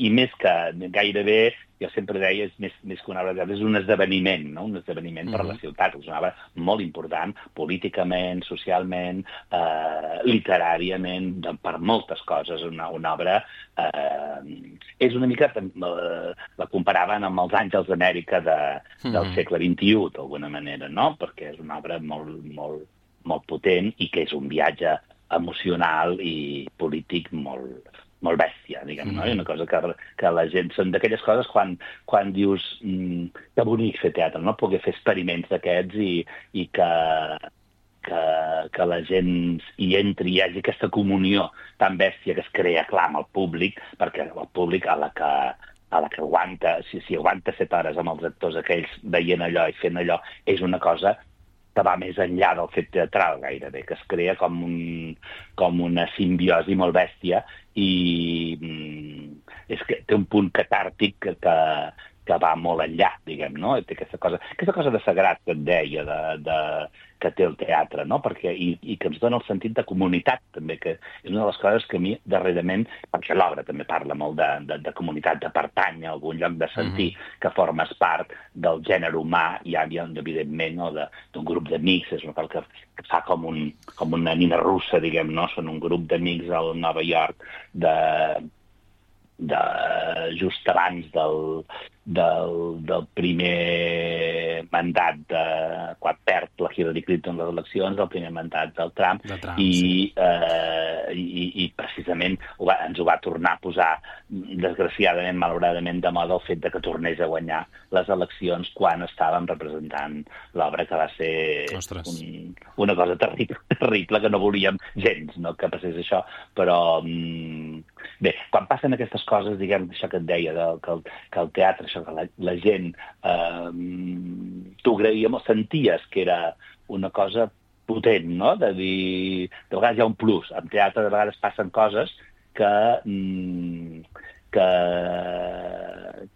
i més que gairebé, jo sempre deia, és més, més que una obra teatral, és un esdeveniment, no? Un esdeveniment mm-hmm. per la ciutat, és una obra molt important, políticament, socialment, eh, literàriament, per moltes coses, una, una obra... Eh, és una mica... Eh, la comparaven amb els Àngels d'Amèrica de, del mm-hmm. segle vint-i-u, d'alguna manera, no? Perquè és una obra molt, molt, molt potent i que és un viatge emocional i polític molt, molt bèstia, diguem, no? I una cosa que, que la gent... Són d'aquelles coses quan, quan dius mmm, que bonic fer teatre, no? Poder fer experiments d'aquests i, i que, que, que la gent hi entri, hi hagi aquesta comunió tan bèstia que es crea, clar, amb el públic, perquè el públic a la que... a la que aguanta, si, si aguanta set hores amb els actors aquells veient allò i fent allò, és una cosa que va més enllà del fet teatral gairebé, que es crea com, un, com una simbiosi molt bèstia i mm, és que té un punt catàrtic que, que, que va molt enllà, diguem, no? Té aquesta cosa, aquesta cosa de sagrat que et deia, de, de, que té el teatre, no? Perquè, i, i que ens dona el sentit de comunitat, també, que és una de les coses que a mi, darrerament, perquè l'obra també parla molt de, de, de comunitat, de pertany a algun lloc, de sentir mm-hmm. que formes part del gènere humà, i hi ha, evidentment, no? d'un grup d'amics, és una cosa que, que fa com, un, com una nina russa, diguem, no? Són un grup d'amics al Nova York de... de just abans del, del, del primer mandat de, quan perd la Hillary Clinton les eleccions, del primer mandat del Trump, de Trump i, sí. eh, i, i precisament ho va, ens ho va tornar a posar, desgraciadament, malauradament, de moda el fet de que tornés a guanyar les eleccions quan estàvem representant l'obra, que va ser un, una cosa terrible, terrible, que no volíem gens, no, que passés això, però mm, bé, quan passen aquestes coses, diguem, això que et deia, de, que, el, que el teatre, això que la, la gent eh, t'ho agraïa molt, senties que era una cosa potent, no? De dir, de vegades hi ha un plus. En teatre de vegades passen coses que, que,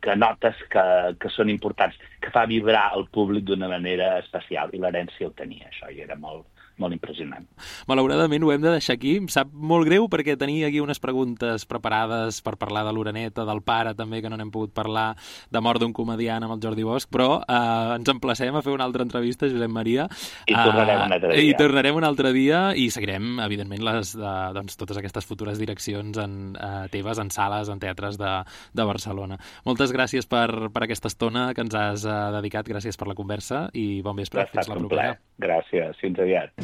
que notes que, que són importants, que fa vibrar el públic d'una manera especial, i l'herència ho tenia, això, i era molt, molt impressionant. Malauradament ho hem de deixar aquí. Em sap molt greu perquè tenia aquí unes preguntes preparades per parlar de l'Oreneta, del pare també, que no n'hem pogut parlar, de mort d'un comediant amb el Jordi Bosch, però eh, ens emplacem a fer una altra entrevista, Josep Maria. I tornarem un altre dia. I tornarem un altre dia i seguirem, evidentment, les, de, doncs, totes aquestes futures direccions en, eh, teves en sales, en teatres de, de Barcelona. Moltes gràcies per, per aquesta estona que ens has eh, dedicat, gràcies per la conversa i bon vespre. Fins la propera. Gràcies, fins aviat.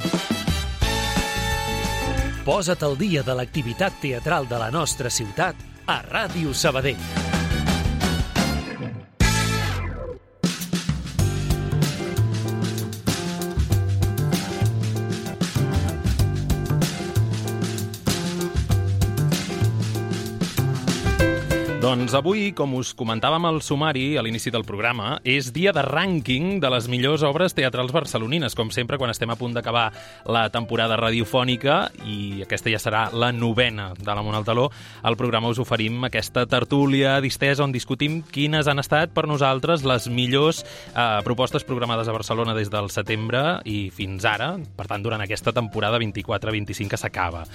Posa't al dia de l'activitat teatral de la nostra ciutat a Ràdio Sabadell. Doncs avui, com us comentàvem al sumari a l'inici del programa, és dia de rànquing de les millors obres teatrals barcelonines. Com sempre, quan estem a punt d'acabar la temporada radiofònica, i aquesta ja serà la novena de la Mont al Taló, al programa us oferim aquesta tertúlia distesa on discutim quines han estat per nosaltres les millors eh, propostes programades a Barcelona des del setembre i fins ara, per tant, durant aquesta temporada vint-i-quatre vint-i-cinc que s'acaba.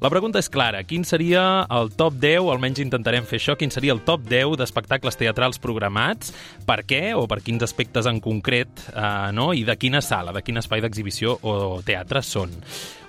La pregunta és clara. Quin seria el top deu, almenys intentarem fer això, quin seria el top deu d'espectacles teatrals programats, per què o per quins aspectes en concret, eh, no? I de quina sala, de quin espai d'exhibició o teatre són.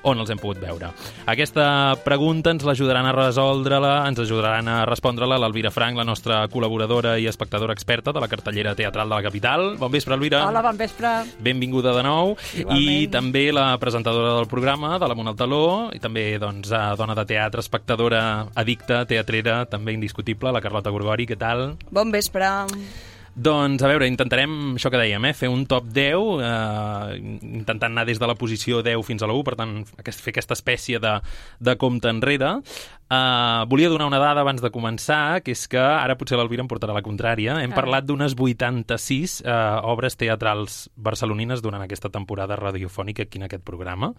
on els hem pogut veure. Aquesta pregunta ens l'ajudaran a resoldre-la, ens ajudaran a respondre-la l'Elvira Frank, la nostra col·laboradora i espectadora experta de la cartellera teatral de la capital. Bon vespre, Elvira. Hola, bon vespre. Benvinguda de nou. Igualment. I també la presentadora del programa, de l'Amunt al Taló, i també doncs, dona de teatre, espectadora addicta, teatrera, també indiscutible, la Carlota Gorgori. Què tal? Bon vespre. Doncs, a veure, intentarem, això que dèiem, eh, fer un top deu, eh, intentant anar des de la posició deu fins a la u, per tant, fer aquesta espècie de, de compte enrere. Eh, volia donar una dada abans de començar, que és que, ara potser l'Elvira em portarà la contrària, hem ah. parlat d'unes vuitanta-sis eh, obres teatrals barcelonines durant aquesta temporada radiofònica aquí en aquest programa.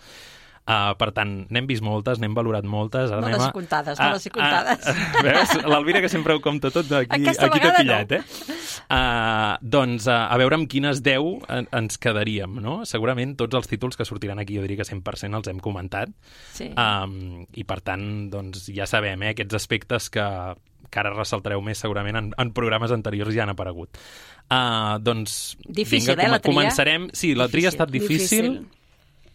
Uh, per tant, n'hem vist moltes, n'hem valorat moltes. Ara no anem les a... he comptades, no les he comptades. Uh, uh, veus? L'Elvira, que sempre ho compta tot, aquí, aquí t'ha pillat, no. eh? Uh, doncs, uh, a veure amb quines deu en, ens quedaríem, no? Segurament tots els títols que sortiran aquí, jo diria que cent per cent els hem comentat. Sí. Um, I, per tant, doncs, ja sabem, eh, aquests aspectes que, que ara ressaltareu més segurament en, en programes anteriors ja han aparegut. Uh, doncs, difícil, vinga, eh, la tria? Començarem. Sí, la tria ha estat difícil. difícil.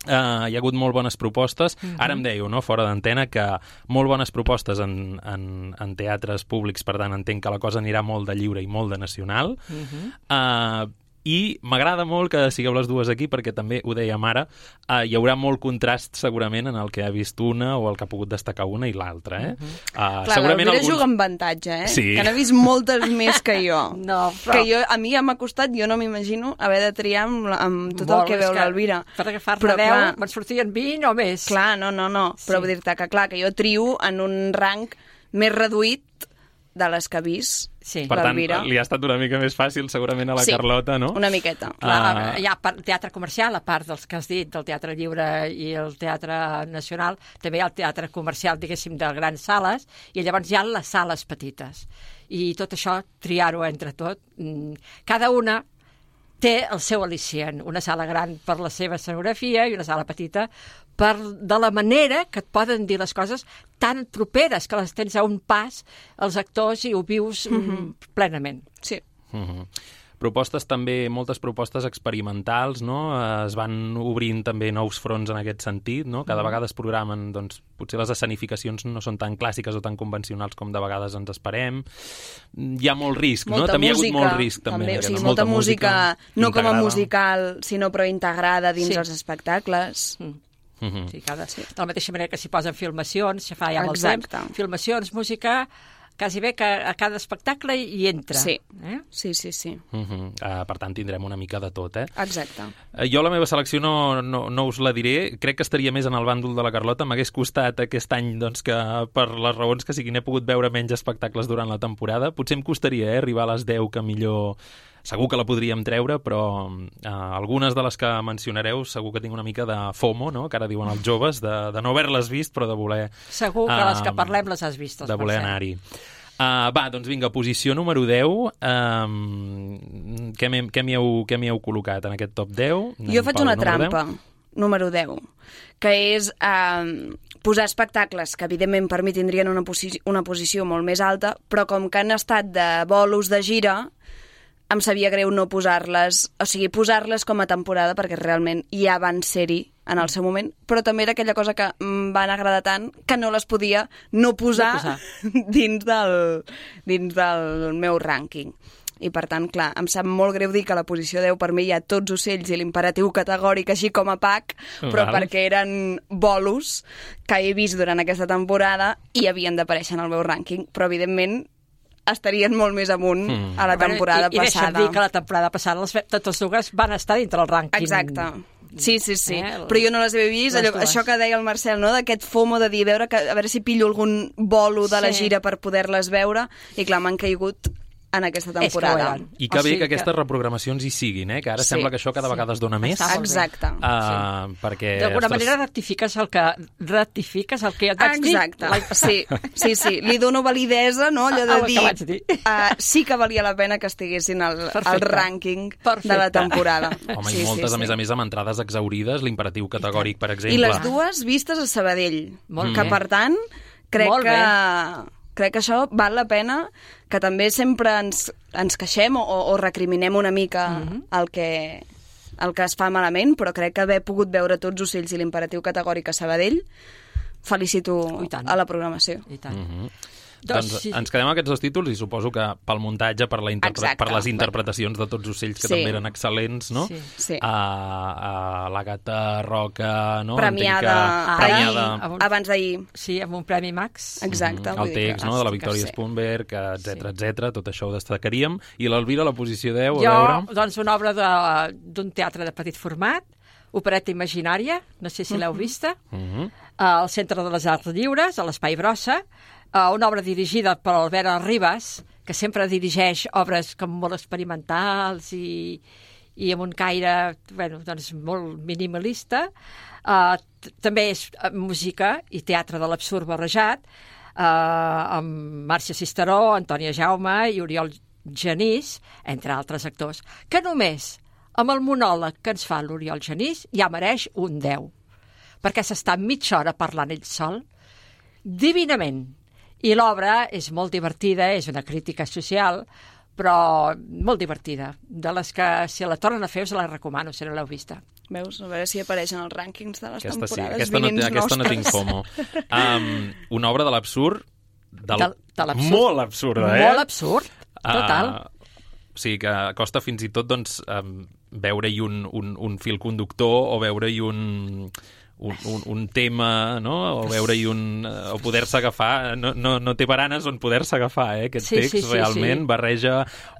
Uh, hi ha hagut molt bones propostes. Uh-huh. Ara em dèieu, no, fora d'antena, que molt bones propostes en, en, en teatres públics, per tant entenc que la cosa anirà molt de lliure i molt de nacional. Uh-huh. uh, I m'agrada molt que sigueu les dues aquí, perquè també ho dèiem ara, uh, hi haurà molt contrast segurament en el que ha vist una o el que ha pogut destacar una i l'altra. Eh? Uh-huh. uh, Clar, l'Elvira alguns... juga amb avantatge, eh? Sí. Que n'ha vist moltes més que jo. No, però... Que jo, a mi ja m'ha costat, jo no m'imagino haver de triar amb, amb tot Molt, el que veu que l'Elvira. Per agafar-ne deu, me'n sortien vint o més. Clar, no, no, no. Sí. Però vull dir-te que, clar, que jo trio en un rang més reduït de les que ha vist sí. Per tant, l'Elvira. li ha estat una mica més fàcil segurament a la sí, Carlota, no? una miqueta. Clar, uh... hi ha teatre comercial, a part dels que has dit, del Teatre Lliure i el Teatre Nacional, també hi ha el teatre comercial, diguéssim, de grans sales, i llavors hi ha les sales petites. I tot això, triar-ho entre tot, cada una té el seu al·licient, una sala gran per la seva escenografia i una sala petita per de la manera que et poden dir les coses tan properes que les tens a un pas els actors i ho vius mm-hmm. plenament. Sí. Mm-hmm. Propostes també, moltes propostes experimentals, no? Es van obrint també nous fronts en aquest sentit, no? Cada vegada es programen, doncs, potser les escenificacions no són tan clàssiques o tan convencionals com de vegades ens esperem. Hi ha molt risc, molta no? També música, hi ha hagut molt risc, també. també o sigui, molta, molta música, música no integrada. Com a musical, sinó però integrada dins sí. els espectacles. Mm. Mm-hmm. Sí, cada, sí. De la mateixa manera que s'hi posen filmacions, ja fa ja molt Exacte. temps, filmacions, música... quasi bé que a cada espectacle hi entra. Sí, eh? sí, sí. sí. Uh-huh. Uh, per tant, tindrem una mica de tot, eh? Exacte. Uh, jo la meva selecció no, no, no us la diré. Crec que estaria més en el bàndol de la Carlota. M'hagués costat aquest any, doncs, que per les raons que siguin he pogut veure menys espectacles durant la temporada. Potser em costaria eh, arribar a les deu, que millor... Segur que la podríem treure, però uh, algunes de les que mencionareu segur que tinc una mica de FOMO, no? Que ara diuen els joves, de, de no haver-les vist, però de voler... Segur que uh, les que parlem les has vistes. De voler anar-hi. Uh, va, doncs vinga, posició número deu. Um, què m'hi heu, heu col·locat en aquest top deu? Jo faig una trampa, número deu, que és um, posar espectacles que evidentment per mi tindrien una, posi una posició molt més alta, però com que han estat de bolos de gira, em sabia greu no posar-les, o sigui, posar-les com a temporada, perquè realment ja van ser-hi en el seu moment, però també era aquella cosa que em van agradar tant que no les podia no posar, no posar. dins, del, dins del meu rànquing. I per tant, clar, em sap molt greu dir que a la posició deu per mi hi ha tots ocells i l'imperatiu categòric així com a pack, però Val. perquè eren bolos que he vist durant aquesta temporada i havien d'aparèixer en el meu rànquing, però evidentment estarien molt més amunt mm. a la temporada bueno, i, passada. I deixa'm dir que la temporada passada les, totes dues van estar dintre el rànquing. Exacte. Sí, sí, sí. Eh, però jo no les he vist. Allò, això que deia el Marcel, no? D'aquest FOMO de dir, veure que, a veure si pillo algun bolo de la sí. gira per poder-les veure, i clar, m'han caigut en aquesta temporada. I que bé que aquestes reprogramacions hi siguin, eh? Que ara sí. sembla que això cada vegada es dona més. Exacte. Uh, sí. Perquè, d'alguna manera rectifiques el que ratifiques el que et vaig dir. Exacte. Sí, sí, sí. Li dono validesa, no? Allò de dir, dir. Uh, sí que valia la pena que estiguessin al, al rànquing Perfecte. de la temporada. Home, sí, i moltes, sí, a més sí. a més, amb entrades exaurides, l'imperatiu categòric, per exemple. I les dues vistes a Sabadell. Molt que, bé. per tant, crec Molt que... Bé. Crec que això val la pena, que també sempre ens, ens queixem o, o recriminem una mica mm-hmm. el que el que es fa malament, però crec que haver pogut veure Tots ocells i l'Imperatiu categòric a Sabadell, felicito a la programació. I tant. Mm-hmm. Doncs, doncs sí. ens quedem amb aquests dos títols i suposo que pel muntatge, per, la interpre per les interpretacions de Tots ocells, que sí. també eren excel·lents, no? Sí. sí. A, a l'Àgata Roca, no? Premiada, que... premiada... Ahir, abans d'ahir. Sí, amb un Premi Max. Exacte. Mm-hmm. El text, no?, de la Victòria Spunberg, etcètera, sí. etcètera, tot això ho destacaríem. I l'Elvira, la posició deu, a jo, veure... doncs, una obra d'un teatre de petit format, Opereta Imaginària, no sé si l'heu vista, Mm-hmm. al Centre de les Arts Lliures, a l'Espai Brossa, Uh, una obra dirigida per Albert Ribas, que sempre dirigeix obres com molt experimentals i, i amb un caire bueno, doncs molt minimalista. Uh, també és música i teatre de l'absurd barrejat, uh, amb Màrcia Cisteró, Antònia Jaume i Oriol Genís, entre altres actors, que només amb el monòleg que ens fa l'Oriol Genís ja mereix un deu, perquè s'està mitja hora parlant ell sol, divinament. I l'obra és molt divertida, és una crítica social, però molt divertida. De les que, si la tornen a fer, us la recomano, si no l'heu vista. Veus? A veure si apareix en els rànquings de les aquesta temporades sí, aquesta no, aquesta no tinc fomo. Um, una obra de l'absurd, del... de, de l'absurd. Molt absurda, eh? Molt absurd, total. Uh, o sigui que costa fins i tot doncs, um, veure-hi un, un, un fil conductor o veure-hi un... Un, un, un tema, no? O veure-hi un... o poder-se agafar... No, no, no té baranes on poder-se agafar, eh? Aquest sí, text sí, sí, realment sí. barreja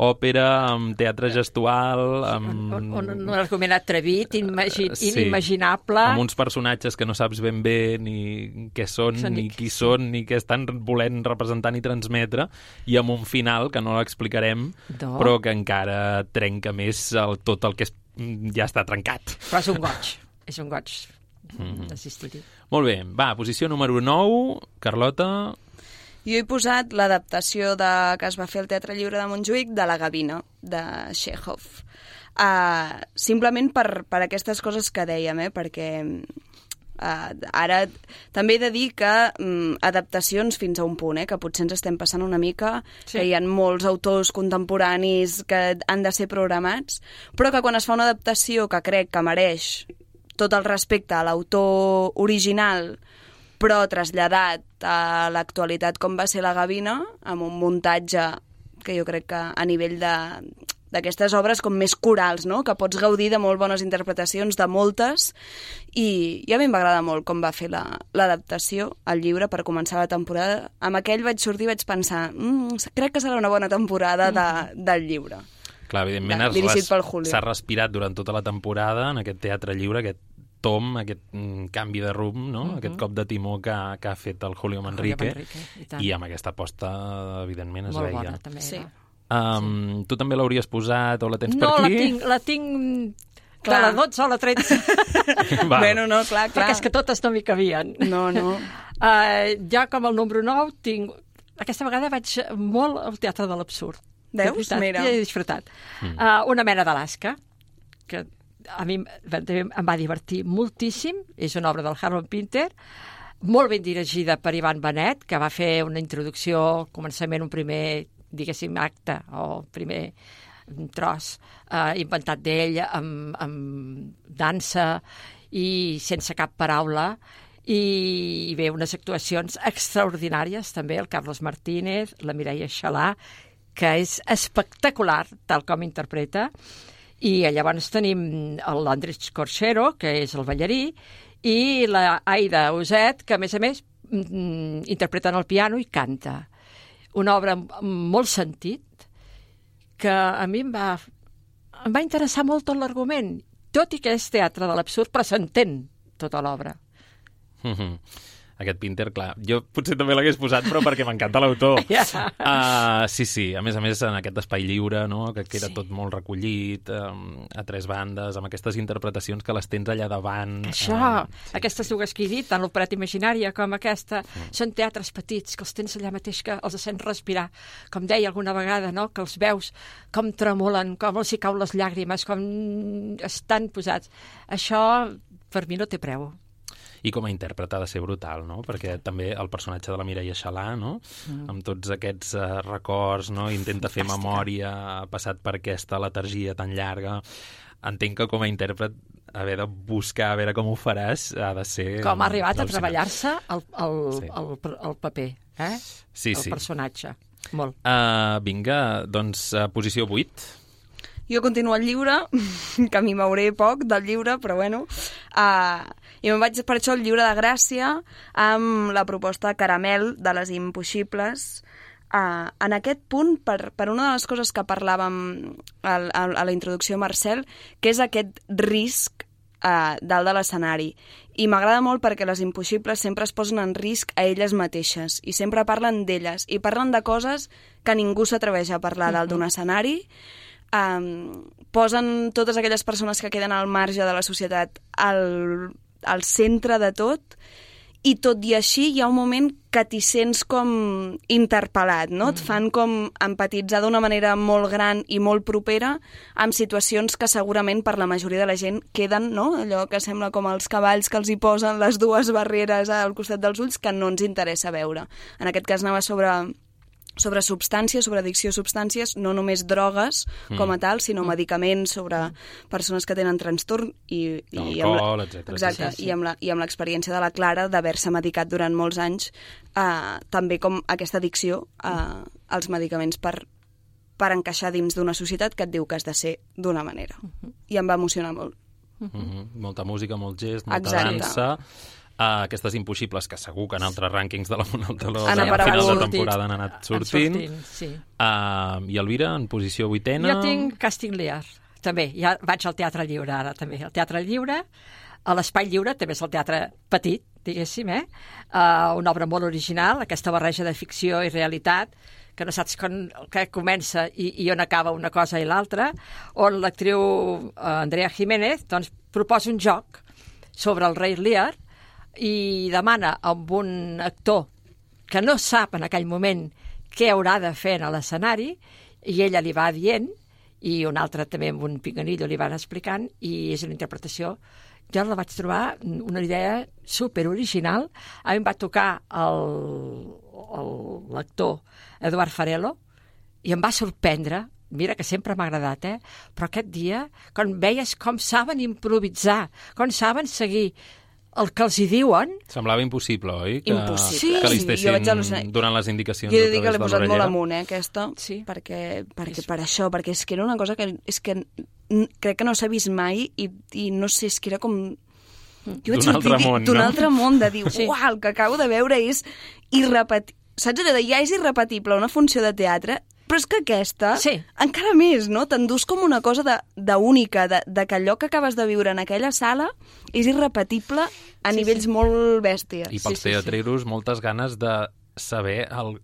òpera amb teatre gestual, amb... Un, un, un argument atrevit, imagi sí. inimaginable... Amb uns personatges que no saps ben bé ni què són, són ni qui són, ni què estan volent representar ni transmetre, i amb un final que no l'explicarem, no. però que encara trenca més el, tot el que és, ja està trencat. Però és un goig, és un goig. Mm-hmm. Assistir-hi. Molt bé, va, posició número nou, Carlota. Jo he posat l'adaptació de, que es va fer al Teatre Lliure de Montjuïc de La Gavina, de Chekhov. Uh, simplement per, per aquestes coses que dèiem, eh? Perquè uh, ara també he de dir que um, adaptacions fins a un punt, eh? Que potser ens estem passant una mica, sí. Que hi ha molts autors contemporanis que han de ser programats, però que quan es fa una adaptació que crec que mereix tot el respecte a l'autor original, però traslladat a l'actualitat com va ser La Gavina, amb un muntatge que jo crec que a nivell de d'aquestes obres com més corals, no? Que pots gaudir de molt bones interpretacions, de moltes, i, i a mi m'agrada molt com va fer l'adaptació la, al llibre per començar la temporada. Amb aquell vaig sortir i vaig pensar mmm, crec que serà una bona temporada de, del llibre. Clar, evidentment s'ha respirat durant tota la temporada en aquest Teatre Lliure, aquest tom, aquest mm, canvi de rumb, no? Uh-huh. Aquest cop de timó que, que ha fet el Julio Manrique, Manrique i, i amb aquesta aposta, evidentment, es molt veia. Molt bona, també. Sí. Um, sí. Tu també l'hauries posat o la tens no, per aquí? No, la tinc, la tinc clar. De la dotze o la tretze. Bueno, no, clar, clar. Perquè és que totes no m'hi cabien. No, no. Uh, ja com el número nou tinc... Aquesta vegada vaig molt al Teatre de l'Absurd. Veus? Mira. Ja he disfrutat. Mm. Uh, una mena d'Alaska, que a mi em va divertir moltíssim. És una obra del Harold Pinter, molt ben dirigida per Ivan Benet, que va fer una introducció, començament, un primer, diguéssim, acte, o primer tros, uh, inventat d'ell, amb, amb dansa i sense cap paraula, i, i bé, unes actuacions extraordinàries, també, el Carlos Martínez, la Mireia Xalà, que és espectacular, tal com interpreta. I llavors tenim l'Andrés Corchero, que és el ballarí, i la Aida Uset, que a més a més interpreta en el piano i canta. Una obra amb molt sentit, que a mi em va, em va interessar molt tot l'argument, tot i que és teatre de l'absurd, però s'entén tota l'obra. Mm-hmm. Aquest Pinter, clar, jo potser també l'hagués posat, però perquè m'encanta l'autor. Yeah. Uh, sí, sí, a més a més en aquest espai lliure, no? Que queda sí. tot molt recollit, um, a tres bandes, amb aquestes interpretacions que les tens allà davant. Això, uh, sí. Aquestes dues que he dit, tant l'Opereta Imaginària com aquesta, mm. són teatres petits, que els tens allà mateix, que els sents respirar. Com deia alguna vegada, no? Que els veus com tremolen, com els hi cau les llàgrimes, com estan posats. Això, per mi, no té preu. I com a intèrpret ha de ser brutal, no? Perquè també el personatge de la Mireia Xalà, no? Mm. Amb tots aquests uh, records, no? Intenta fer memòria, ha passat per aquesta letargia tan llarga. Entenc que com a intèrpret haver de buscar, a veure com ho faràs, ha de ser... Com ha arribat a treballar-se el, el, sí. el, el paper, eh? Sí, el sí. personatge. Molt. Uh, vinga, doncs, uh, posició vuit. Jo continuo el llibre, que a mi m'hauré poc del llibre, però bueno. Uh, I me'n vaig per això al llibre de Gràcia, amb la proposta Caramel de les Impossibles. Uh, en aquest punt, per, per una de les coses que parlàvem a, a, a la introducció, Marcel, que és aquest risc uh, dalt de l'escenari. I m'agrada molt perquè les Impossibles sempre es posen en risc a elles mateixes i sempre parlen d'elles i parlen de coses que ningú s'atreveix a parlar dalt d'un escenari. Um, posen totes aquelles persones que queden al marge de la societat al, al centre de tot, i tot i així hi ha un moment que t'hi sents com interpel·lat, no? Mm. Et fan com empatitzar d'una manera molt gran i molt propera amb situacions que segurament per la majoria de la gent queden, no? Allò que sembla com els cavalls que els hi posen les dues barreres al costat dels ulls que no ens interessa veure. En aquest cas anava sobre... sobre substàncies, sobre addicció a substàncies, no només drogues mm. com a tal, sinó mm. medicaments, sobre persones que tenen trastorn i, i alcohol, etcètera. Exacte, sí, sí. i amb la, i amb l'experiència de la Clara d'haver-se medicat durant molts anys, eh, també com aquesta addicció eh, als medicaments per, per encaixar dins d'una societat que et diu que has de ser d'una manera. Mm-hmm. I em va emocionar molt. Mm-hmm. Molta música, molt gest, molta Exacte. dansa... Uh, aquestes Impossibles, que segur que en altres rànquings de la Monaltaló al final de temporada han anat sortint. sortint sí. uh, I Elvira, en posició vuitena... Jo tinc Càsting Lear, també. Ja vaig al Teatre Lliure, ara, també. El Teatre Lliure, a l'Espai Lliure, també és el teatre petit, diguéssim, eh? Uh, una obra molt original, aquesta barreja de ficció i realitat, que no saps quan, que comença i, i on acaba una cosa i l'altra, on l'actriu uh, Andrea Jiménez doncs, proposa un joc sobre el rei Lear, i demana amb un actor que no sap en aquell moment què haurà de fer a l'escenari, i ella li va dient, i un altre també amb un pinganillo li van explicant, i és una interpretació. Jo la vaig trobar una idea superoriginal. A mi em va tocar l'actor Eduard Farelo i em va sorprendre. Mira que sempre m'ha agradat, eh? Però aquest dia, quan veies com saben improvisar, com saben seguir el que els hi diuen... Semblava impossible, oi? Que, impossible. Que li sí, estessin donant les indicacions jo a he de dir que l'he posat molt amunt, eh, aquesta, sí. perquè, perquè per això, perquè és que era una cosa que, és que crec que no s'ha vist mai i, i no sé, és que era com... D'un altre món, D'un no? altre món, de dir, sí. uau, el que acabo de veure és irrepetible. Saps allò de ja és irrepetible una funció de teatre, però és que aquesta, sí. encara més, no? T'endús com una cosa d'única, de, de, de que allò que acabes de viure en aquella sala és irrepetible a sí, nivells sí. molt bèsties. I pels sí, sí, teatreros sí. moltes ganes de saber el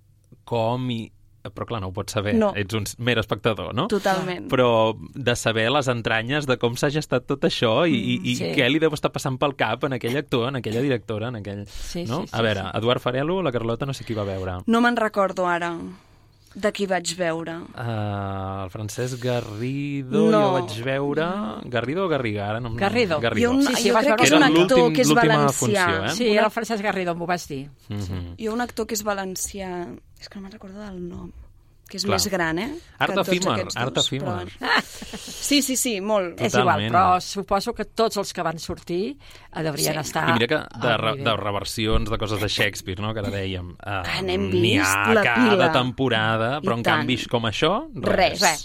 com i... Però clar, no ho pots saber, no. ets un mer espectador, no? Totalment. Però de saber les entranyes de com s'ha gestat tot això i, i, i sí. què li deu estar passant pel cap en aquell actor, en aquella directora, en aquell... Sí, no? sí, sí, a veure, sí. Eduard Farelo, la Carlota, no sé qui va veure. No me'n recordo ara de qui vaig veure. Uh, el Francesc Garrido, no. jo vaig veure... Garrido o Garriga? Ara no, em- Garrido. Garrido. Jo, un, Sí, sí, jo vas crec que és veure un Era actor l'últim- que és l'última valencià. funció, eh? Sí, era el Francesc Garrido, m'ho vas dir. Mm-hmm. Hi ha un actor que és valencià... És que no me'n recordo del nom. Que és Clar. més gran, eh? Art que tots efímer, aquests art dos, efímer. però- Sí, sí, sí, molt. És igual, però suposo que tots els que van sortir eh, deurien Sí. estar... I mira que de, al re, nivell. de reversions de coses de Shakespeare, no?, que ara dèiem, uh, Que n'hem n'hi vist ha la cada pila. temporada, però I en tant. canvi com això, res. Res. Res.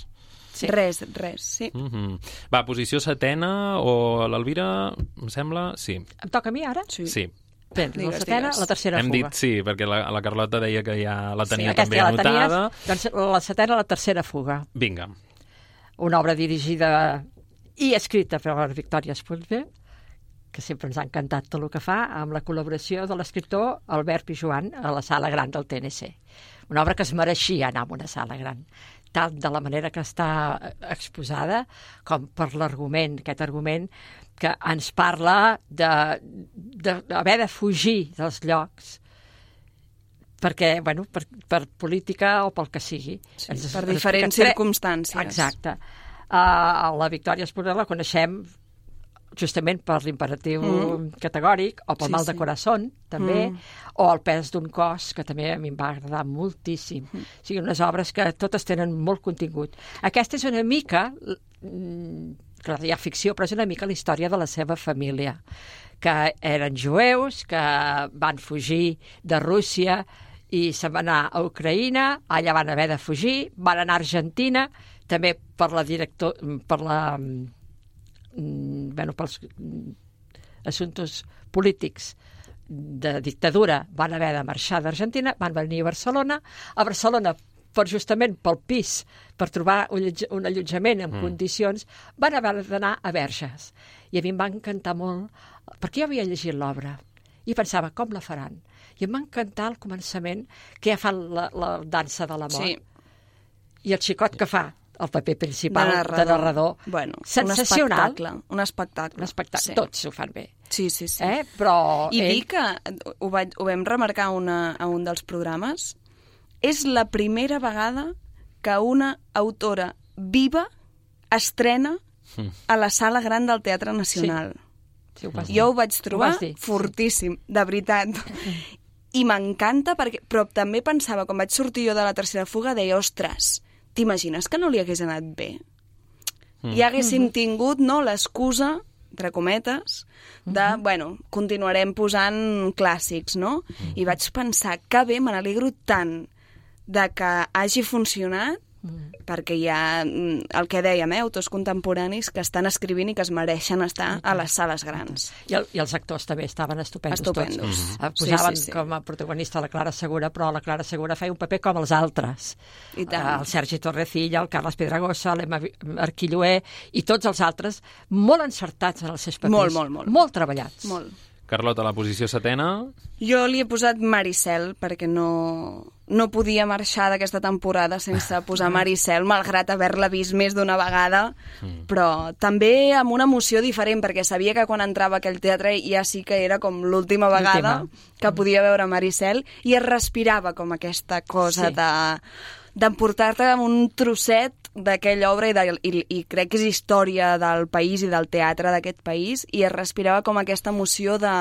Sí. Res, res, sí. Mm -hmm. Va, posició setena, o l'Elvira, em sembla... Sí, Em toca a mi ara? Sí. sí. Bé, Digues, la setena, digues. la tercera Hem fuga. dit sí, perquè la, la Carlota deia que ja la tenia Aquesta també ja la anotada. tenies, doncs la setena, la tercera fuga. Vinga. Una obra dirigida i escrita per Victòria Spunsberg, que sempre ens ha encantat tot el que fa, amb la col·laboració de l'escriptor Albert Pijoan a la sala gran del T N C. Una obra que es mereixia anar a una sala gran, tant de la manera que està exposada com per l'argument, aquest argument que ens parla d'haver de, de, de fugir dels llocs perquè, bueno, per, per política o pel que sigui. Sí, ens, per ens diferents explica tre- circumstàncies. Exacte. Uh, la Victòria Esporel la coneixem justament per l'imperatiu Mm. categòric, o pel Sí, mal sí. de corazón, també, Mm. o el pes d'un cos, que també a mi em va agradar moltíssim. Mm. O sigui, unes obres que totes tenen molt contingut. Aquesta és una mica, mm, clar, hi ha ficció, però és una mica la història de la seva família, que eren jueus, que van fugir de Rússia i se'n van anar a Ucraïna, allà van haver de fugir, van anar a Argentina, també per la director, per la, mm, bueno, pels mm, assumptes polítics de dictadura, van haver de marxar d'Argentina, van venir a Barcelona, a Barcelona per justament pel pis, per trobar un, allotja- un allotjament en mm. condicions, van haver d'anar a Verges. I a mi em va encantar molt, perquè jo havia llegit l'obra i pensava, com la faran? I em va encantar al començament que ja fan la, la dansa de la mort. Sí. I el xicot que fa el paper principal De de narrador. narrador. Bueno, sensacional. Un espectacle. Un espectacle. Un espectacle. Sí. Tots ho fan bé. Sí, sí, sí. Eh? Però I ell... dir que, ho, vaig, ho vam remarcar una, a un dels programes, és la primera vegada que una autora viva estrena a la Sala Gran del Teatre Nacional. Sí, ho vas dir. Jo ho vaig trobar Ho vas dir, sí. fortíssim, de veritat. I m'encanta, perquè, però també pensava, quan vaig sortir jo de la tercera fuga, deia, ostres, t'imagines que no li hagués anat bé? Mm. I haguéssim tingut, no, l'excusa, entre cometes, de, mm -hmm. bueno, continuarem posant clàssics, no? Mm. I vaig pensar, que bé, me n'alegro tant de que hagi funcionat, mm. perquè hi ha el que dèiem, eh, autors contemporanis que estan escrivint i que es mereixen estar a les sales grans. I, el, I els actors també estaven estupendos, Estupendos. tots. Mm-hmm. Eh, Posaven Sí, sí, sí. com a protagonista la Clara Segura, però la Clara Segura feia un paper com els altres. I tant. El Sergi Torrecilla, el Carles Pedragosa, l'Emma Arquilloé i tots els altres, molt encertats en els seus papers. Molt, molt, molt. Molt treballats. Molt. Carlota, la posició setena... Jo li he posat Maricel perquè no, no podia marxar d'aquesta temporada sense posar Maricel, malgrat haver-la vist més d'una vegada, mm. però també amb una emoció diferent, perquè sabia que quan entrava a aquell teatre ja sí que era com l'última vegada que podia veure Maricel, i es respirava com aquesta cosa Sí. de d'emportar-te un trosset d'aquella obra i, de, i, i crec que és història del país i del teatre d'aquest país, i es respirava com aquesta emoció de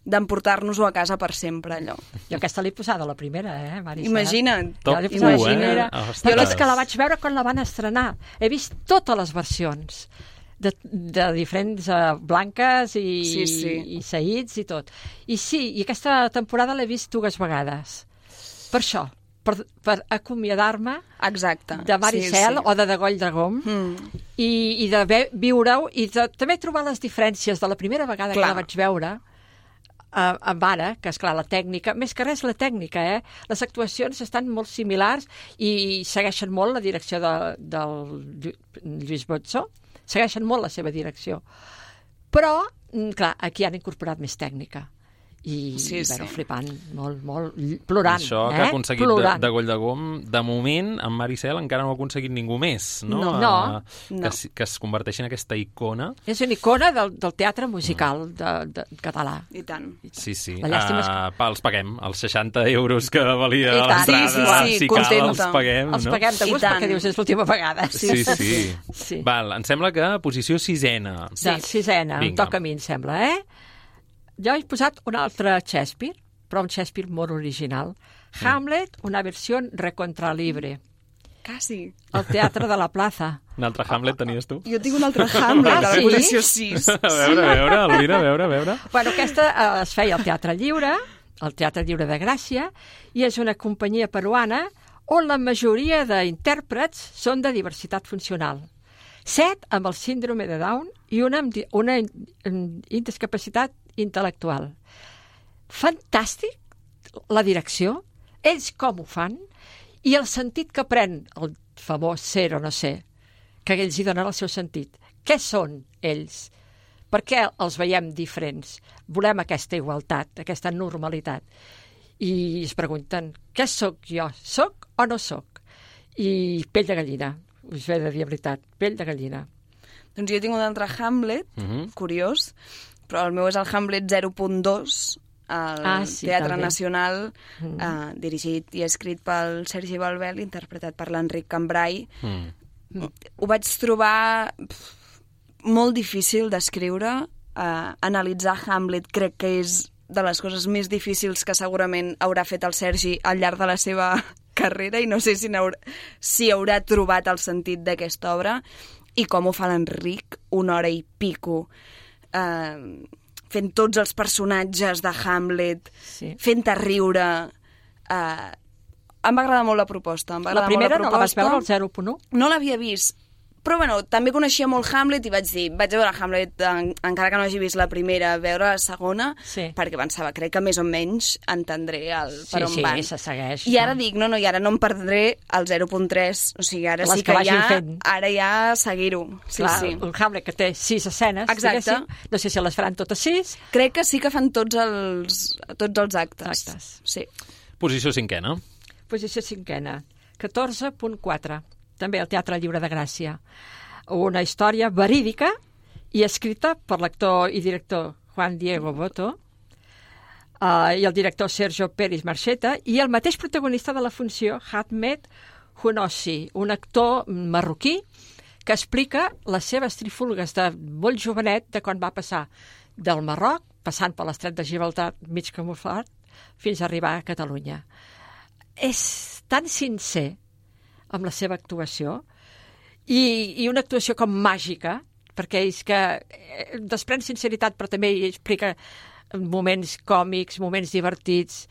d'emportar-nos-ho a casa per sempre, allò. Jo aquesta l'he posada la primera, eh, Maricel? Imagina't. Jo l'he posada Top la u, primera. eh? Ostres. Jo és que la vaig veure quan la van estrenar. He vist totes les versions de, de diferents uh, blanques i, Sí, sí. i seguits i tot. I sí, i aquesta temporada l'he vist dues vegades. Per això, per, per acomiadar-me Exacte. de Maricel sí, sí. o de Degoll Dragom Mm. i, i de ve- viure-ho i de, també trobar les diferències de la primera vegada Clar. que la vaig veure uh, amb ara, que és clar la tècnica, més que res la tècnica, eh? Les actuacions estan molt similars i segueixen molt la direcció de, del Llu- Lluís Botzó, segueixen molt la seva direcció. Però, mm, clar, aquí han incorporat més tècnica. I, Sí, i bueno, sí. flipant, molt, molt, plorant. Això que eh? ha aconseguit de, Plorant. de Goll de Gom, de moment, amb Maricel encara no ha aconseguit ningú més, no? No. No. Eh, que, No. es- que es converteixi en aquesta icona. És una icona del, del teatre musical de, de, català. I tant. Sí, sí. La llàstima és Uh, pa, els paguem. Els seixanta euros que valia I tant. l'entrada, Sí, sí, sí, si cal, contenta. els paguem, Els no? paguem de I gust tant. perquè dius és l'última vegada. Sí, sí. Sí. Val, em sembla que posició sisena. Sí. De sisena, em Vinga. toca a mi, em sembla, eh? Jo he posat un altre Shakespeare, però un Shakespeare molt original. Hamlet, una versió recontralibre. Quasi. El Teatre de la Plaza. Un altre Hamlet tenies tu? Jo tinc un altre Hamlet, Ah, a la sí? posició sis. A veure, a veure, Elvira, a veure, a veure. Bueno, aquesta eh, es feia al Teatre Lliure, al Teatre Lliure de Gràcia, i és una companyia peruana on la majoria d'intèrprets són de diversitat funcional. Set amb el síndrome de Down i una amb di- una in- in- indiscapacitat intel·lectual. Fantàstic, la direcció, ells com ho fan, i el sentit que pren el famós ser o no ser, que ells hi donen el seu sentit. Què són ells? Per què els veiem diferents? Volem aquesta igualtat, aquesta normalitat. I es pregunten, què sóc jo? Soc o no soc? I pell de gallina, us he de dir la veritat, pell de gallina. Doncs jo tinc un altre Hamlet, Mhm. curiós, però el meu és el Hamlet zero punt dos, al Ah, sí, Teatre també. Nacional, Mm. eh, dirigit i escrit pel Sergi Balbel, interpretat per l'Enric Cambrai. Mm. Ho vaig trobar pf, molt difícil d'escriure. Uh, analitzar Hamlet crec que és de les coses més difícils que segurament haurà fet el Sergi al llarg de la seva carrera, i no sé si, haurà, si haurà trobat el sentit d'aquesta obra, i com ho fa l'Enric, una hora i pico, uh, fent tots els personatges de Hamlet, sí. fent-te riure. Uh, em va agradar molt la proposta. Em va la primera molt la no la vas veure, el zero punt u? No l'havia vist. Però, bueno, també coneixia molt Hamlet i vaig dir, vaig veure Hamlet, en, encara que no hagi vist la primera, veure la segona, sí. perquè pensava, crec que més o menys entendré el, sí, per on sí, van. Sí, se segueix. I ara no? dic, no, no, i ara no em perdré el zero punt tres, o sigui, ara Les sí que, que ja, fent. ara ja seguir-ho. Sí, Clar, sí. un Hamlet que té sis escenes, exacte. No sé si les faran totes sis. Crec que sí que fan tots els, tots els actes. actes. Sí. Posició cinquena. Posició cinquena, catorze punt quatre. També el Teatre Lliure de Gràcia. Una història verídica i escrita per l'actor i director Juan Diego Botto uh, i el director Sergio Pérez Marcheta i el mateix protagonista de la funció, Ahmed Honossi, un actor marroquí que explica les seves trifulgues de molt jovenet de quan va passar del Marroc, passant per l'estret de Gibraltar mig camuflat, fins a arribar a Catalunya. És tan sincer amb la seva actuació i, i una actuació com màgica, perquè és que desprèn sinceritat, però també explica moments còmics, moments divertits,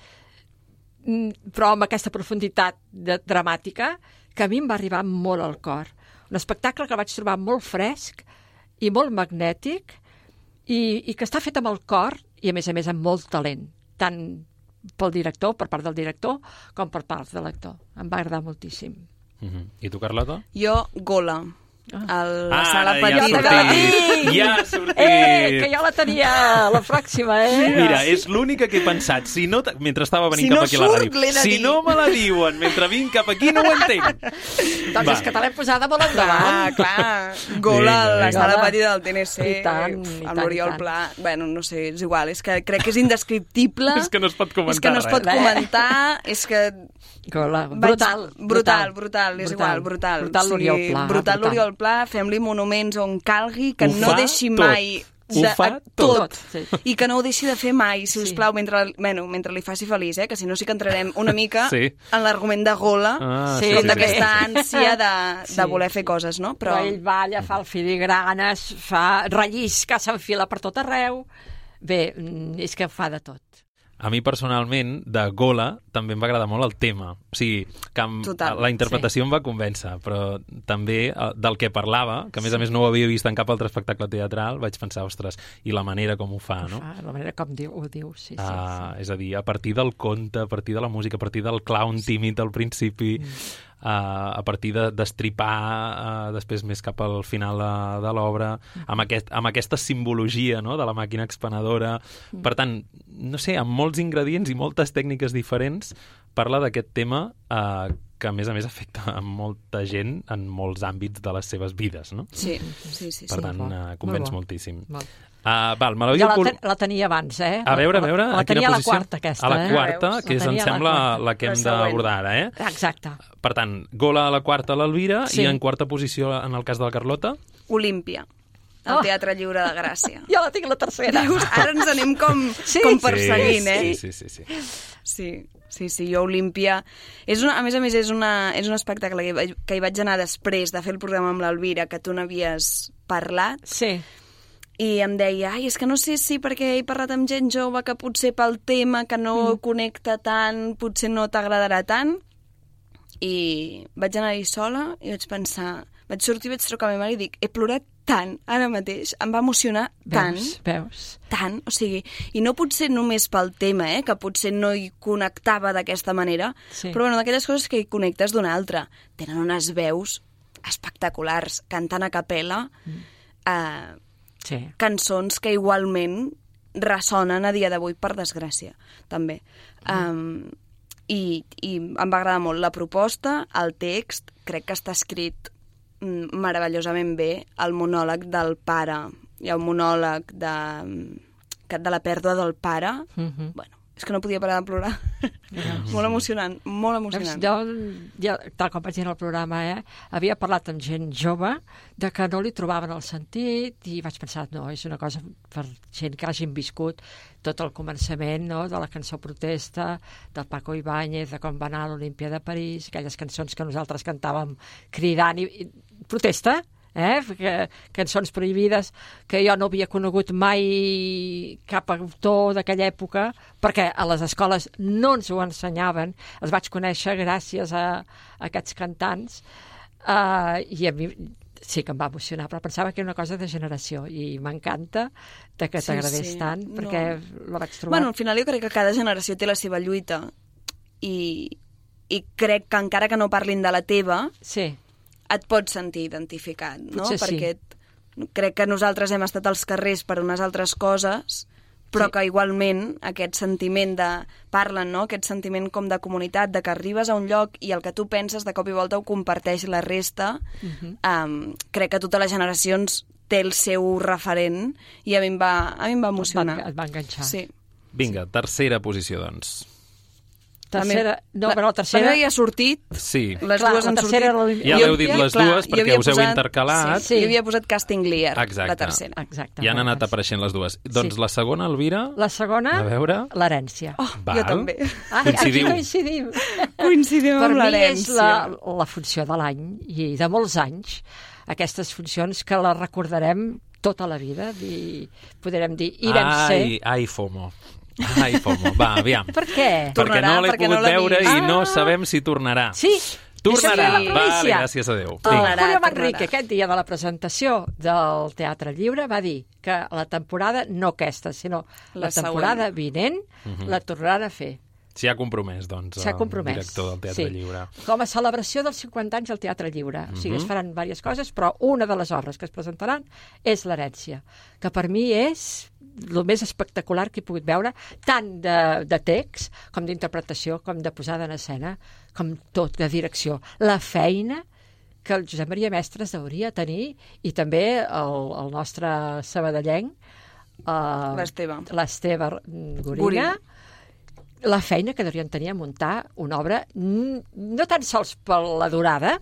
però amb aquesta profunditat de, dramàtica que a mi em va arribar molt al cor. Un espectacle que el vaig trobar molt fresc i molt magnètic i, i que està fet amb el cor i, a més a més, amb molt talent, tant pel director, per part del director, com per part de l'actor. Em va agradar moltíssim. Uh-huh. I tu, Carlota? Jo, Gola. A la ah, sala petita. Ja ha sortit! Ja ha sortit! Eh, que jo la tenia la pròxima, eh? Mira, és l'única que he pensat. Si no, mentre estava venint si cap no aquí a la ràdio. Si dir. no me la diuen mentre vinc cap aquí, no ho entenc. Doncs Va. és que te l'hem posada molt endavant. Ah, clar. Gola a la sala petita del T N C. I tant, i amb l'Oriol Pla. Bueno, no sé, és igual. És que crec que és indescriptible. És que no es pot comentar És que no es pot res. comentar. És que... Gola. Brutal. Vaig... Brutal, brutal, és brutal. igual, brutal. Brutal l'Oriol Pla. Brutal l'Oriol Pla, fem-li monuments on calgui, que ho no deixi tot. mai... De, ho fa tot, tot sí. I que no ho deixi de fer mai, si us plau, sí. mentre, bueno, mentre li faci feliç, eh? Que si no sí que entrarem una mica sí. en l'argument de Gola, ah, sí, sí, d'aquesta sí. ànsia de, sí. de voler fer coses, no? Però... Però ell balla, fa el filigranes, fa rellisca, s'enfila per tot arreu. Bé, és que fa de tot. A mi, personalment, de Gola, també em va agradar molt el tema. O sigui, que em, la interpretació sí. em va convèncer, però també del que parlava, que a més sí. a més no ho havia vist en cap altre espectacle teatral, vaig pensar, ostres, i la manera com ho fa, no? Ho fa, la manera com diu, ho diu, sí, sí, uh, sí. És a dir, a partir del conte, a partir de la música, a partir del clown tímid al principi... Mm. Uh, a partir de destripar uh, després més cap al final uh, de l'obra, mm. amb, aquest, amb aquesta simbologia, no?, de la màquina expenedora. Mm. Per tant, no sé, amb molts ingredients i moltes tècniques diferents, parla d'aquest tema uh, que a més a més afecta a molta gent en molts àmbits de les seves vides, no? Sí, sí, sí. Per sí, tant, uh, convenç Molt moltíssim. Molt. Uh, val, me ja la, ten la tenia abans, eh? A veure, a veure... La, la tenia a la quarta, aquesta, eh? A la quarta, eh? que és, em sembla, la, la que hem d'abordar ara, eh? Exacte. Per tant, Gola a la quarta, l'Elvira, sí. i en quarta posició, en el cas de la Carlota... Olímpia, el oh. Teatre Lliure de Gràcia. Jo la tinc la tercera. Veus? Ara ens anem com, sí, com perseguint, sí, eh? Sí, sí, sí. sí. Sí, sí, sí, jo Olímpia... És una, a més a més, és, una, és un espectacle que, que hi vaig anar després de fer el programa amb l'Elvira, que tu n'havies parlat. Sí. I em deia, ai, és que no sé si perquè he parlat amb gent jove que potser pel tema que no mm. connecta tant, potser no t'agradarà tant. I vaig anar-hi sola i vaig pensar... Vaig sortir, vaig trucar a la meva mare i dic, he plorat tant ara mateix, em va emocionar tant. Veus, veus. Tant, o sigui, i no potser només pel tema, eh, que potser no hi connectava d'aquesta manera, sí. però bueno, d'aquelles coses que hi connectes d'una altra. Tenen unes veus espectaculars, cantant a capella, mm. eh, sí. cançons que igualment ressonen a dia d'avui, per desgràcia, també. Mm. Um, i, I em va agradar molt la proposta, el text, crec que està escrit meravellosament bé, el monòleg del pare, hi ha un monòleg de, de la pèrdua del pare, mm-hmm. bueno, És que no podia parar de plorar. Molt emocionant, molt emocionant. Doncs jo, jo, tal com vaig dir en el programa, eh, havia parlat amb gent jove de que no li trobaven el sentit i vaig pensar, no, és una cosa per gent que hagin viscut tot el començament, no?, de la cançó Protesta, del Paco Ibáñez, de com va anar a l'Olimpia de París, aquelles cançons que nosaltres cantàvem cridant i, i protesta, eh? Que, cançons prohibides que jo no havia conegut mai cap autor d'aquella època perquè a les escoles no ens ho ensenyaven, els vaig conèixer gràcies a, a aquests cantants uh, i a mi sí que em va emocionar, però pensava que era una cosa de generació i m'encanta de que Sí, t'agradés sí. tant perquè No. la vaig trobar. Bueno, al final jo crec que cada generació té la seva lluita i, i crec que encara que no parlin de la teva, Sí, et pots sentir identificat, no? Potser sí. Perquè et- crec que nosaltres hem estat als carrers per unes altres coses, però Sí. que igualment aquest sentiment de... Parlen, no?, aquest sentiment com de comunitat, de que arribes a un lloc i el que tu penses de cop i volta ho comparteix la resta. Mhm. um, crec que totes les generacions té el seu referent i a mi em va, a mi em va emocionar. et va enganxar. Sí. Vinga, tercera posició, doncs. Tercera, no, la, però la tercera... La meva ja ha sortit, Sí. les Clar, dues la han tercera era sortit. l'Olimpia. Ja Jo- l'heu dit les clar, dues jo perquè havia us heu posat- intercalat. Sí, Sí. jo havia posat Casting Lear, Exacte. la tercera. Exacte. I han bueno, anat doncs. apareixent les dues. Doncs Sí. la segona, Elvira? La segona, A veure. l'herència. Oh, Val. jo també. Ah, Coincidiu. aquí coincidim. Coincidim Per amb mi és l'herència. la, la funció de l'any i de molts anys, aquestes funcions que les recordarem tota la vida i podrem dir, irem ser. Ai, ai, FOMO. Ai, FOMO. Va, aviam. Per què? Perquè Tornarà, no l'he perquè no pogut l'he veure vist. i no Ah. sabem si tornarà. Sí, Tornarà. això sí, la Vale, primícia. gràcies a Déu. El Vinga. Tornarà. Julio Manrique, tornarà. aquest dia de la presentació del Teatre Lliure, va dir que la temporada, no aquesta, sinó la, La temporada següent. vinent, la tornaran a fer. S'hi ha compromès, doncs, S'ha compromès. el director del Teatre sí. Lliure. Com a celebració dels cinquanta anys del Teatre Lliure. O sigui, es faran diverses coses, però una de les obres que es presentaran és l'herència, que per mi és el més espectacular que he pogut veure, tant de, de text, com d'interpretació, com de posada en escena, com tot, de direcció. La feina que el Josep Maria Mestres hauria de tenir, i també el, el nostre sabadellenc, uh, L'Esteve. l'Esteve Gorina, Gorina. la feina que deurien tenir a muntar una obra n- no tan sols per la durada,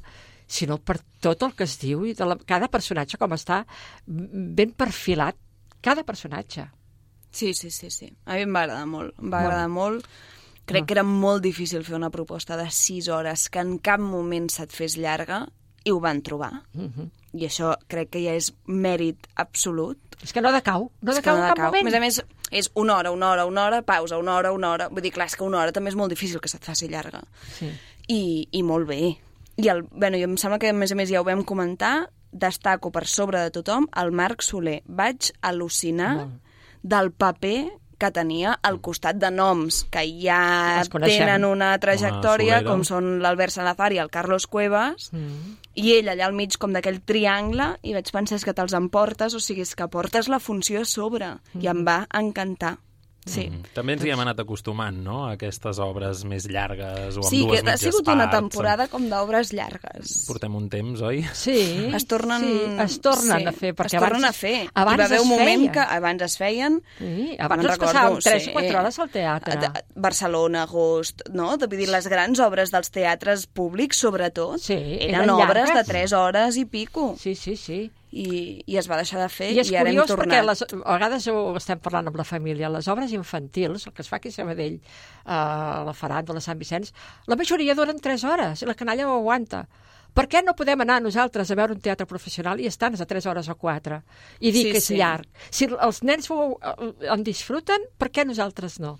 sinó per tot el que es diu i de la, cada personatge com està ben perfilat, cada personatge. Sí, sí, sí, sí. A mi em va agradar molt. Em va Molt. agradar molt. Crec Ah. que era molt difícil fer una proposta de sis hores que en cap moment se't fes llarga i ho van trobar. Mhm. I això crec que ja és mèrit absolut. És que no decau, no És decau que en no cap decau. moment. A més a més, és una hora, una hora, una hora, pausa, una hora, una hora. Vull dir, clar, és que una hora també és molt difícil que se't faci llarga. Sí. I, i molt bé. I el, bueno, jo em sembla que, a més a més, ja ho vam comentar, destaco per sobre de tothom el Marc Soler. Vaig al·lucinar Molt. del paper que tenia al costat de noms que ja Els coneixem. tenen una trajectòria, Home, Solera. com són l'Albert Salazar i el Carlos Cuevas, Mm. i ell allà al mig com d'aquell triangle, i vaig pensar és que te'ls emportes, o sigui, és que portes la funció a sobre, i em va encantar. Sí. Mm. També ens hi hem anat acostumant, no?, a aquestes obres més llargues o amb Sí, dues que ha mitges sigut una parts. temporada com d'obres llargues. Portem un temps, oi? Sí, Es tornen, sí, es tornen sí, a fer. Perquè es tornen abans, a fer. Abans Hi va haver es un moment feien. que abans es feien... Sí, abans me'n ens passàvem recordo, tres sí. o quatre hores al teatre. A- a- Barcelona, Agost, no? Vull dir, les grans obres dels teatres públics, sobretot, Sí, eren, eren obres llargues. de tres hores i pico. Sí, sí, sí. I, i es va deixar de fer I és i ara hem curiós perquè tornat. les, a vegades ho estem parlant amb la família, les obres infantils, el que es fa aquí a Sabadell, a la Faràndula, a Sant Vicenç, la majoria duren tres hores i la canalla ho aguanta. Per què no podem anar nosaltres a veure un teatre professional i estar a tres hores o quatre i dir Sí, que és sí. llarg? Si els nens ho, en disfruten, per què nosaltres no?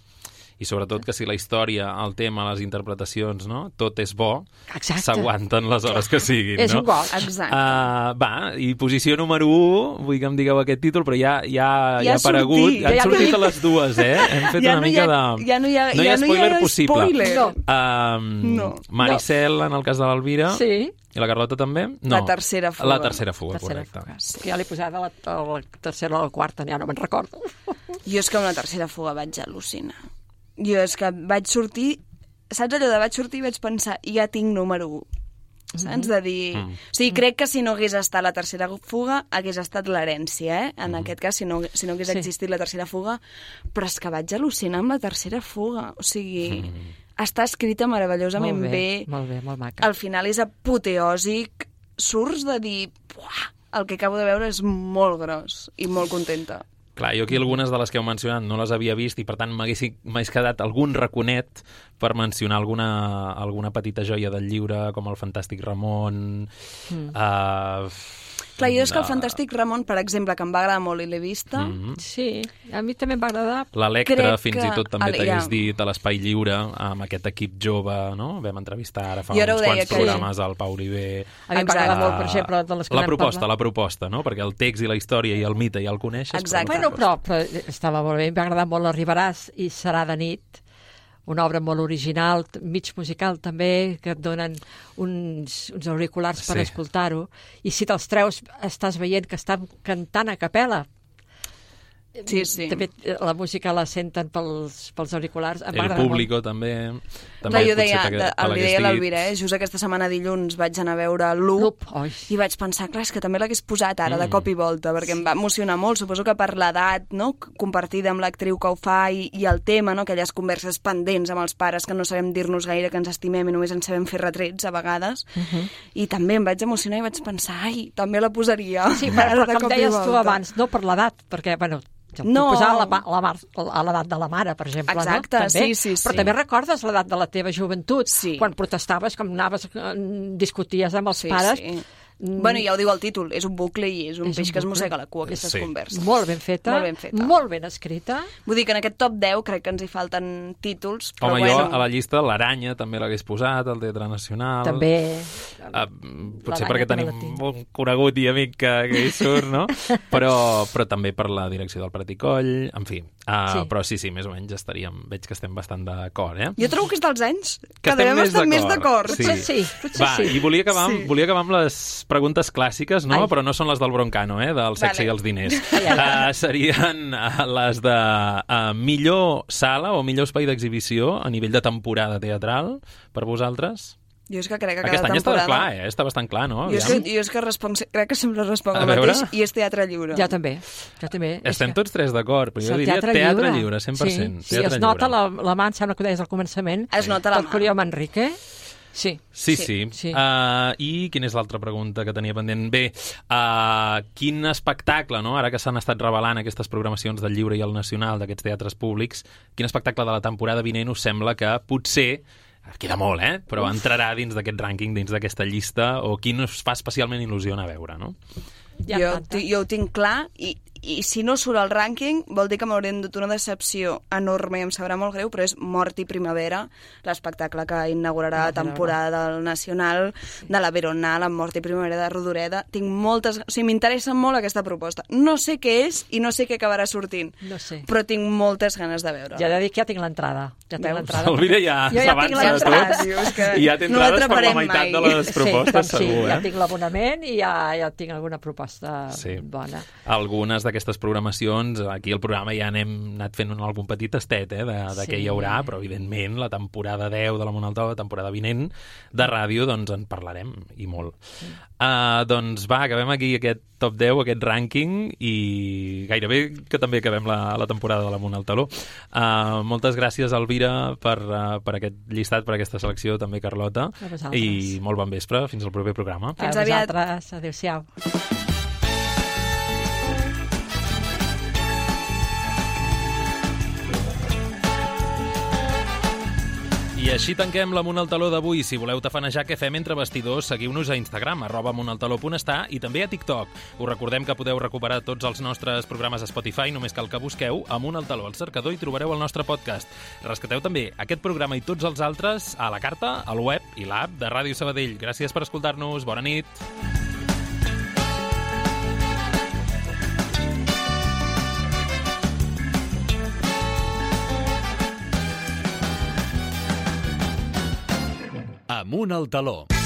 I sobretot que si la història, el tema, les interpretacions, no?, tot és bo, Exacte. s'aguanten les hores que siguin, És no? un goig. Exacte. Uh, va, i posició número un, vull que em digueu aquest títol, però ja, ja, Ja ja ha ha aparegut, sortit, han ja sortit dic. a les dues, eh? Hem fet Ja una no hi mica ha- de... ja no hi ha- no hi ja ha no hi spoiler ha possible. spoiler. No. Um, No. Maricel, en el cas de l'Elvira, Sí. i la Carlota també? No. La tercera fuga. La tercera fuga, Tercera correcte. fuga. És que ja l'he posat a la, a la tercera o a la quarta, ja no me'n recordo. Jo és que amb la tercera fuga vaig al·lucinar. Jo és que vaig sortir... Saps allò de vaig sortir i vaig pensar, ja tinc número un. saps? De dir... Mm. O sigui, crec que si no hagués estat la tercera fuga, hagués estat l'herència, eh? En mm. aquest cas, si no, si no hagués sí. existit la tercera fuga. Però és que vaig al·lucinar amb la tercera fuga. O sigui, mm. està escrita meravellosament molt bé, bé. Molt bé, molt maca. Al final és apoteòsic. Surts de dir... Uah, el que acabo de veure és molt gros i molt contenta. Clar, jo aquí algunes de les que heu mencionat no les havia vist i, per tant, m'hagués quedat algun raconet per mencionar alguna, alguna petita joia del llibre, com el Fantàstic Ramon... Mm. Uh, Clar, jo és que el Fantàstic Ramon, per exemple, que em va agradar molt i l'he vista... Mm-hmm. Sí, a mi també em va agradar. L'Electra, fins que... i tot, també Ale, t'hagués ja. dit a l'Espai Lliure, amb aquest equip jove, no? Vam entrevistar ara fa uns quants que... programes al Pau Oliver. A mi em va agradar molt, per exemple, de les que la proposta, la proposta, no? Perquè el text i la història i el mite ja el coneixes. Exacte. Bueno, però, però estava molt bé, em va agradar molt Arribaràs i Serà de nit, una obra molt original, mig musical també, que et donen uns, uns auriculars per sí. escoltar-ho, i si te'ls treus estàs veient que estan cantant a capella. Sí, sí. També la música la senten pels, pels auriculars. Em El público molt. també. també jo deia, de, el deia l'Alvira, eh? Just aquesta setmana dilluns vaig anar a veure Loop i vaig pensar, clar, és que també l'hagués posat ara mm. de cop i volta, perquè sí. em va emocionar molt, suposo que per l'edat, no?, compartida amb l'actriu que ho fa i, i el tema, no?, aquelles converses pendents amb els pares que no sabem dir-nos gaire que ens estimem i només ens sabem fer retrets a vegades, uh -huh. i també em vaig emocionar i vaig pensar, ai, també la posaria. Sí, però, però com deies tu abans, no per l'edat, perquè, bueno, no. posar a la, la, a l'edat de la mare, per exemple. Exacte, no? També. sí, sí, sí. Però també recordes l'edat de la teva joventut, sí. quan protestaves, com anaves, discuties amb els sí, pares. Sí. Mm. Bueno, ja ho diu el títol, és un bucle i és un és peix un que es bucle. mossega la cua, aquestes sí. converses. Molt ben feta, molt ben feta, molt ben escrita. Vull dir que en aquest top deu crec que ens hi falten títols, però Home, bueno... jo a la llista l'Aranya també l'hagués posat, el Teatre Nacional... També... Uh, potser perquè tenim un conegut i amic que, que hi surt, no? però, però també per la direcció del Prat i Coll, en fi. Uh, sí. Però sí, sí, més o menys estaríem... Veig que estem bastant d'acord, eh? Jo trobo que és dels anys que, que devem estar més d'acord. Sí. Potser sí, potser Va, sí. I volia acabar, amb, sí. volia acabar amb les preguntes clàssiques, no? Ai. Però no són les del Broncano, eh? Del sexe vale. i els diners. Uh, serien uh, les de uh, millor sala o millor espai d'exhibició a nivell de temporada teatral per vosaltres? Jo és que crec que Aquest cada any temporada... està clar, eh? Està bastant clar, no? Jo és que, jo és que responc, crec que sempre responc el mateix i és teatre lliure. Ja també. Ja també. Estem tots tres d'acord, però jo diria teatre, teatre lliure. lliure, cent per cent. Sí, teatre sí es nota lliure. la, la mà, em sembla que ho deies al començament. Es nota la mà. Tot amb Enrique. Sí. Sí, sí. sí. sí. Uh, I quina és l'altra pregunta que tenia pendent? Bé, uh, quin espectacle, no? Ara que s'han estat revelant aquestes programacions del Lliure i el Nacional, d'aquests teatres públics, quin espectacle de la temporada vinent us sembla que potser, queda molt, eh? Però Uf. entrarà dins d'aquest rànquing, dins d'aquesta llista, o quin us fa especialment il·lusió anar a veure, no? Jo, jo ho tinc clar i, i si no surt al rànquing vol dir que m'hauré endut una decepció enorme i em sabrà molt greu, però és Mort i Primavera, l'espectacle que inaugurarà la temporada del Nacional, de la Veronal, amb Mort i Primavera de Rodoreda. Tinc moltes... O sigui, m'interessa molt aquesta proposta. No sé què és i no sé què acabarà sortint, no sé. però tinc moltes ganes de veure. Ja he de dir que ja tinc l'entrada. Ja tinc l'entrada. Elvira ja s'avança de tot. I ja té entrades no per la meitat mai. de les propostes, sí, segur, sí, eh? Ja tinc l'abonament i ja, ja tinc alguna proposta sí. bona. Algunes d'aquestes programacions, aquí al programa ja n'hem anat fent un, algun petit tastet eh, de, de sí. què hi haurà, però evidentment la temporada deu de la Monaltó, la temporada vinent de ràdio, doncs en parlarem i molt. Sí. Uh, doncs va, acabem aquí aquest top deu, aquest rànquing, i gairebé que també acabem la, la temporada de la Monaltaló. Uh, moltes gràcies, Elvira, per, uh, per aquest llistat, per aquesta selecció, també Carlota, i molt bon vespre, fins al proper programa. Fins a vosaltres, adéu-siau. I així tanquem la Monaltaló d'avui. Si voleu tafanejar què fem entre vestidors, seguiu-nos a Instagram, arroba monaltaló.està, i també a TikTok. Us recordem que podeu recuperar tots els nostres programes a Spotify, només cal que busqueu a Monaltaló al cercador i trobareu el nostre podcast. Rescateu també aquest programa i tots els altres a la carta, al web i l'app de Ràdio Sabadell. Gràcies per escoltar-nos. Bona nit. Amunt al taló.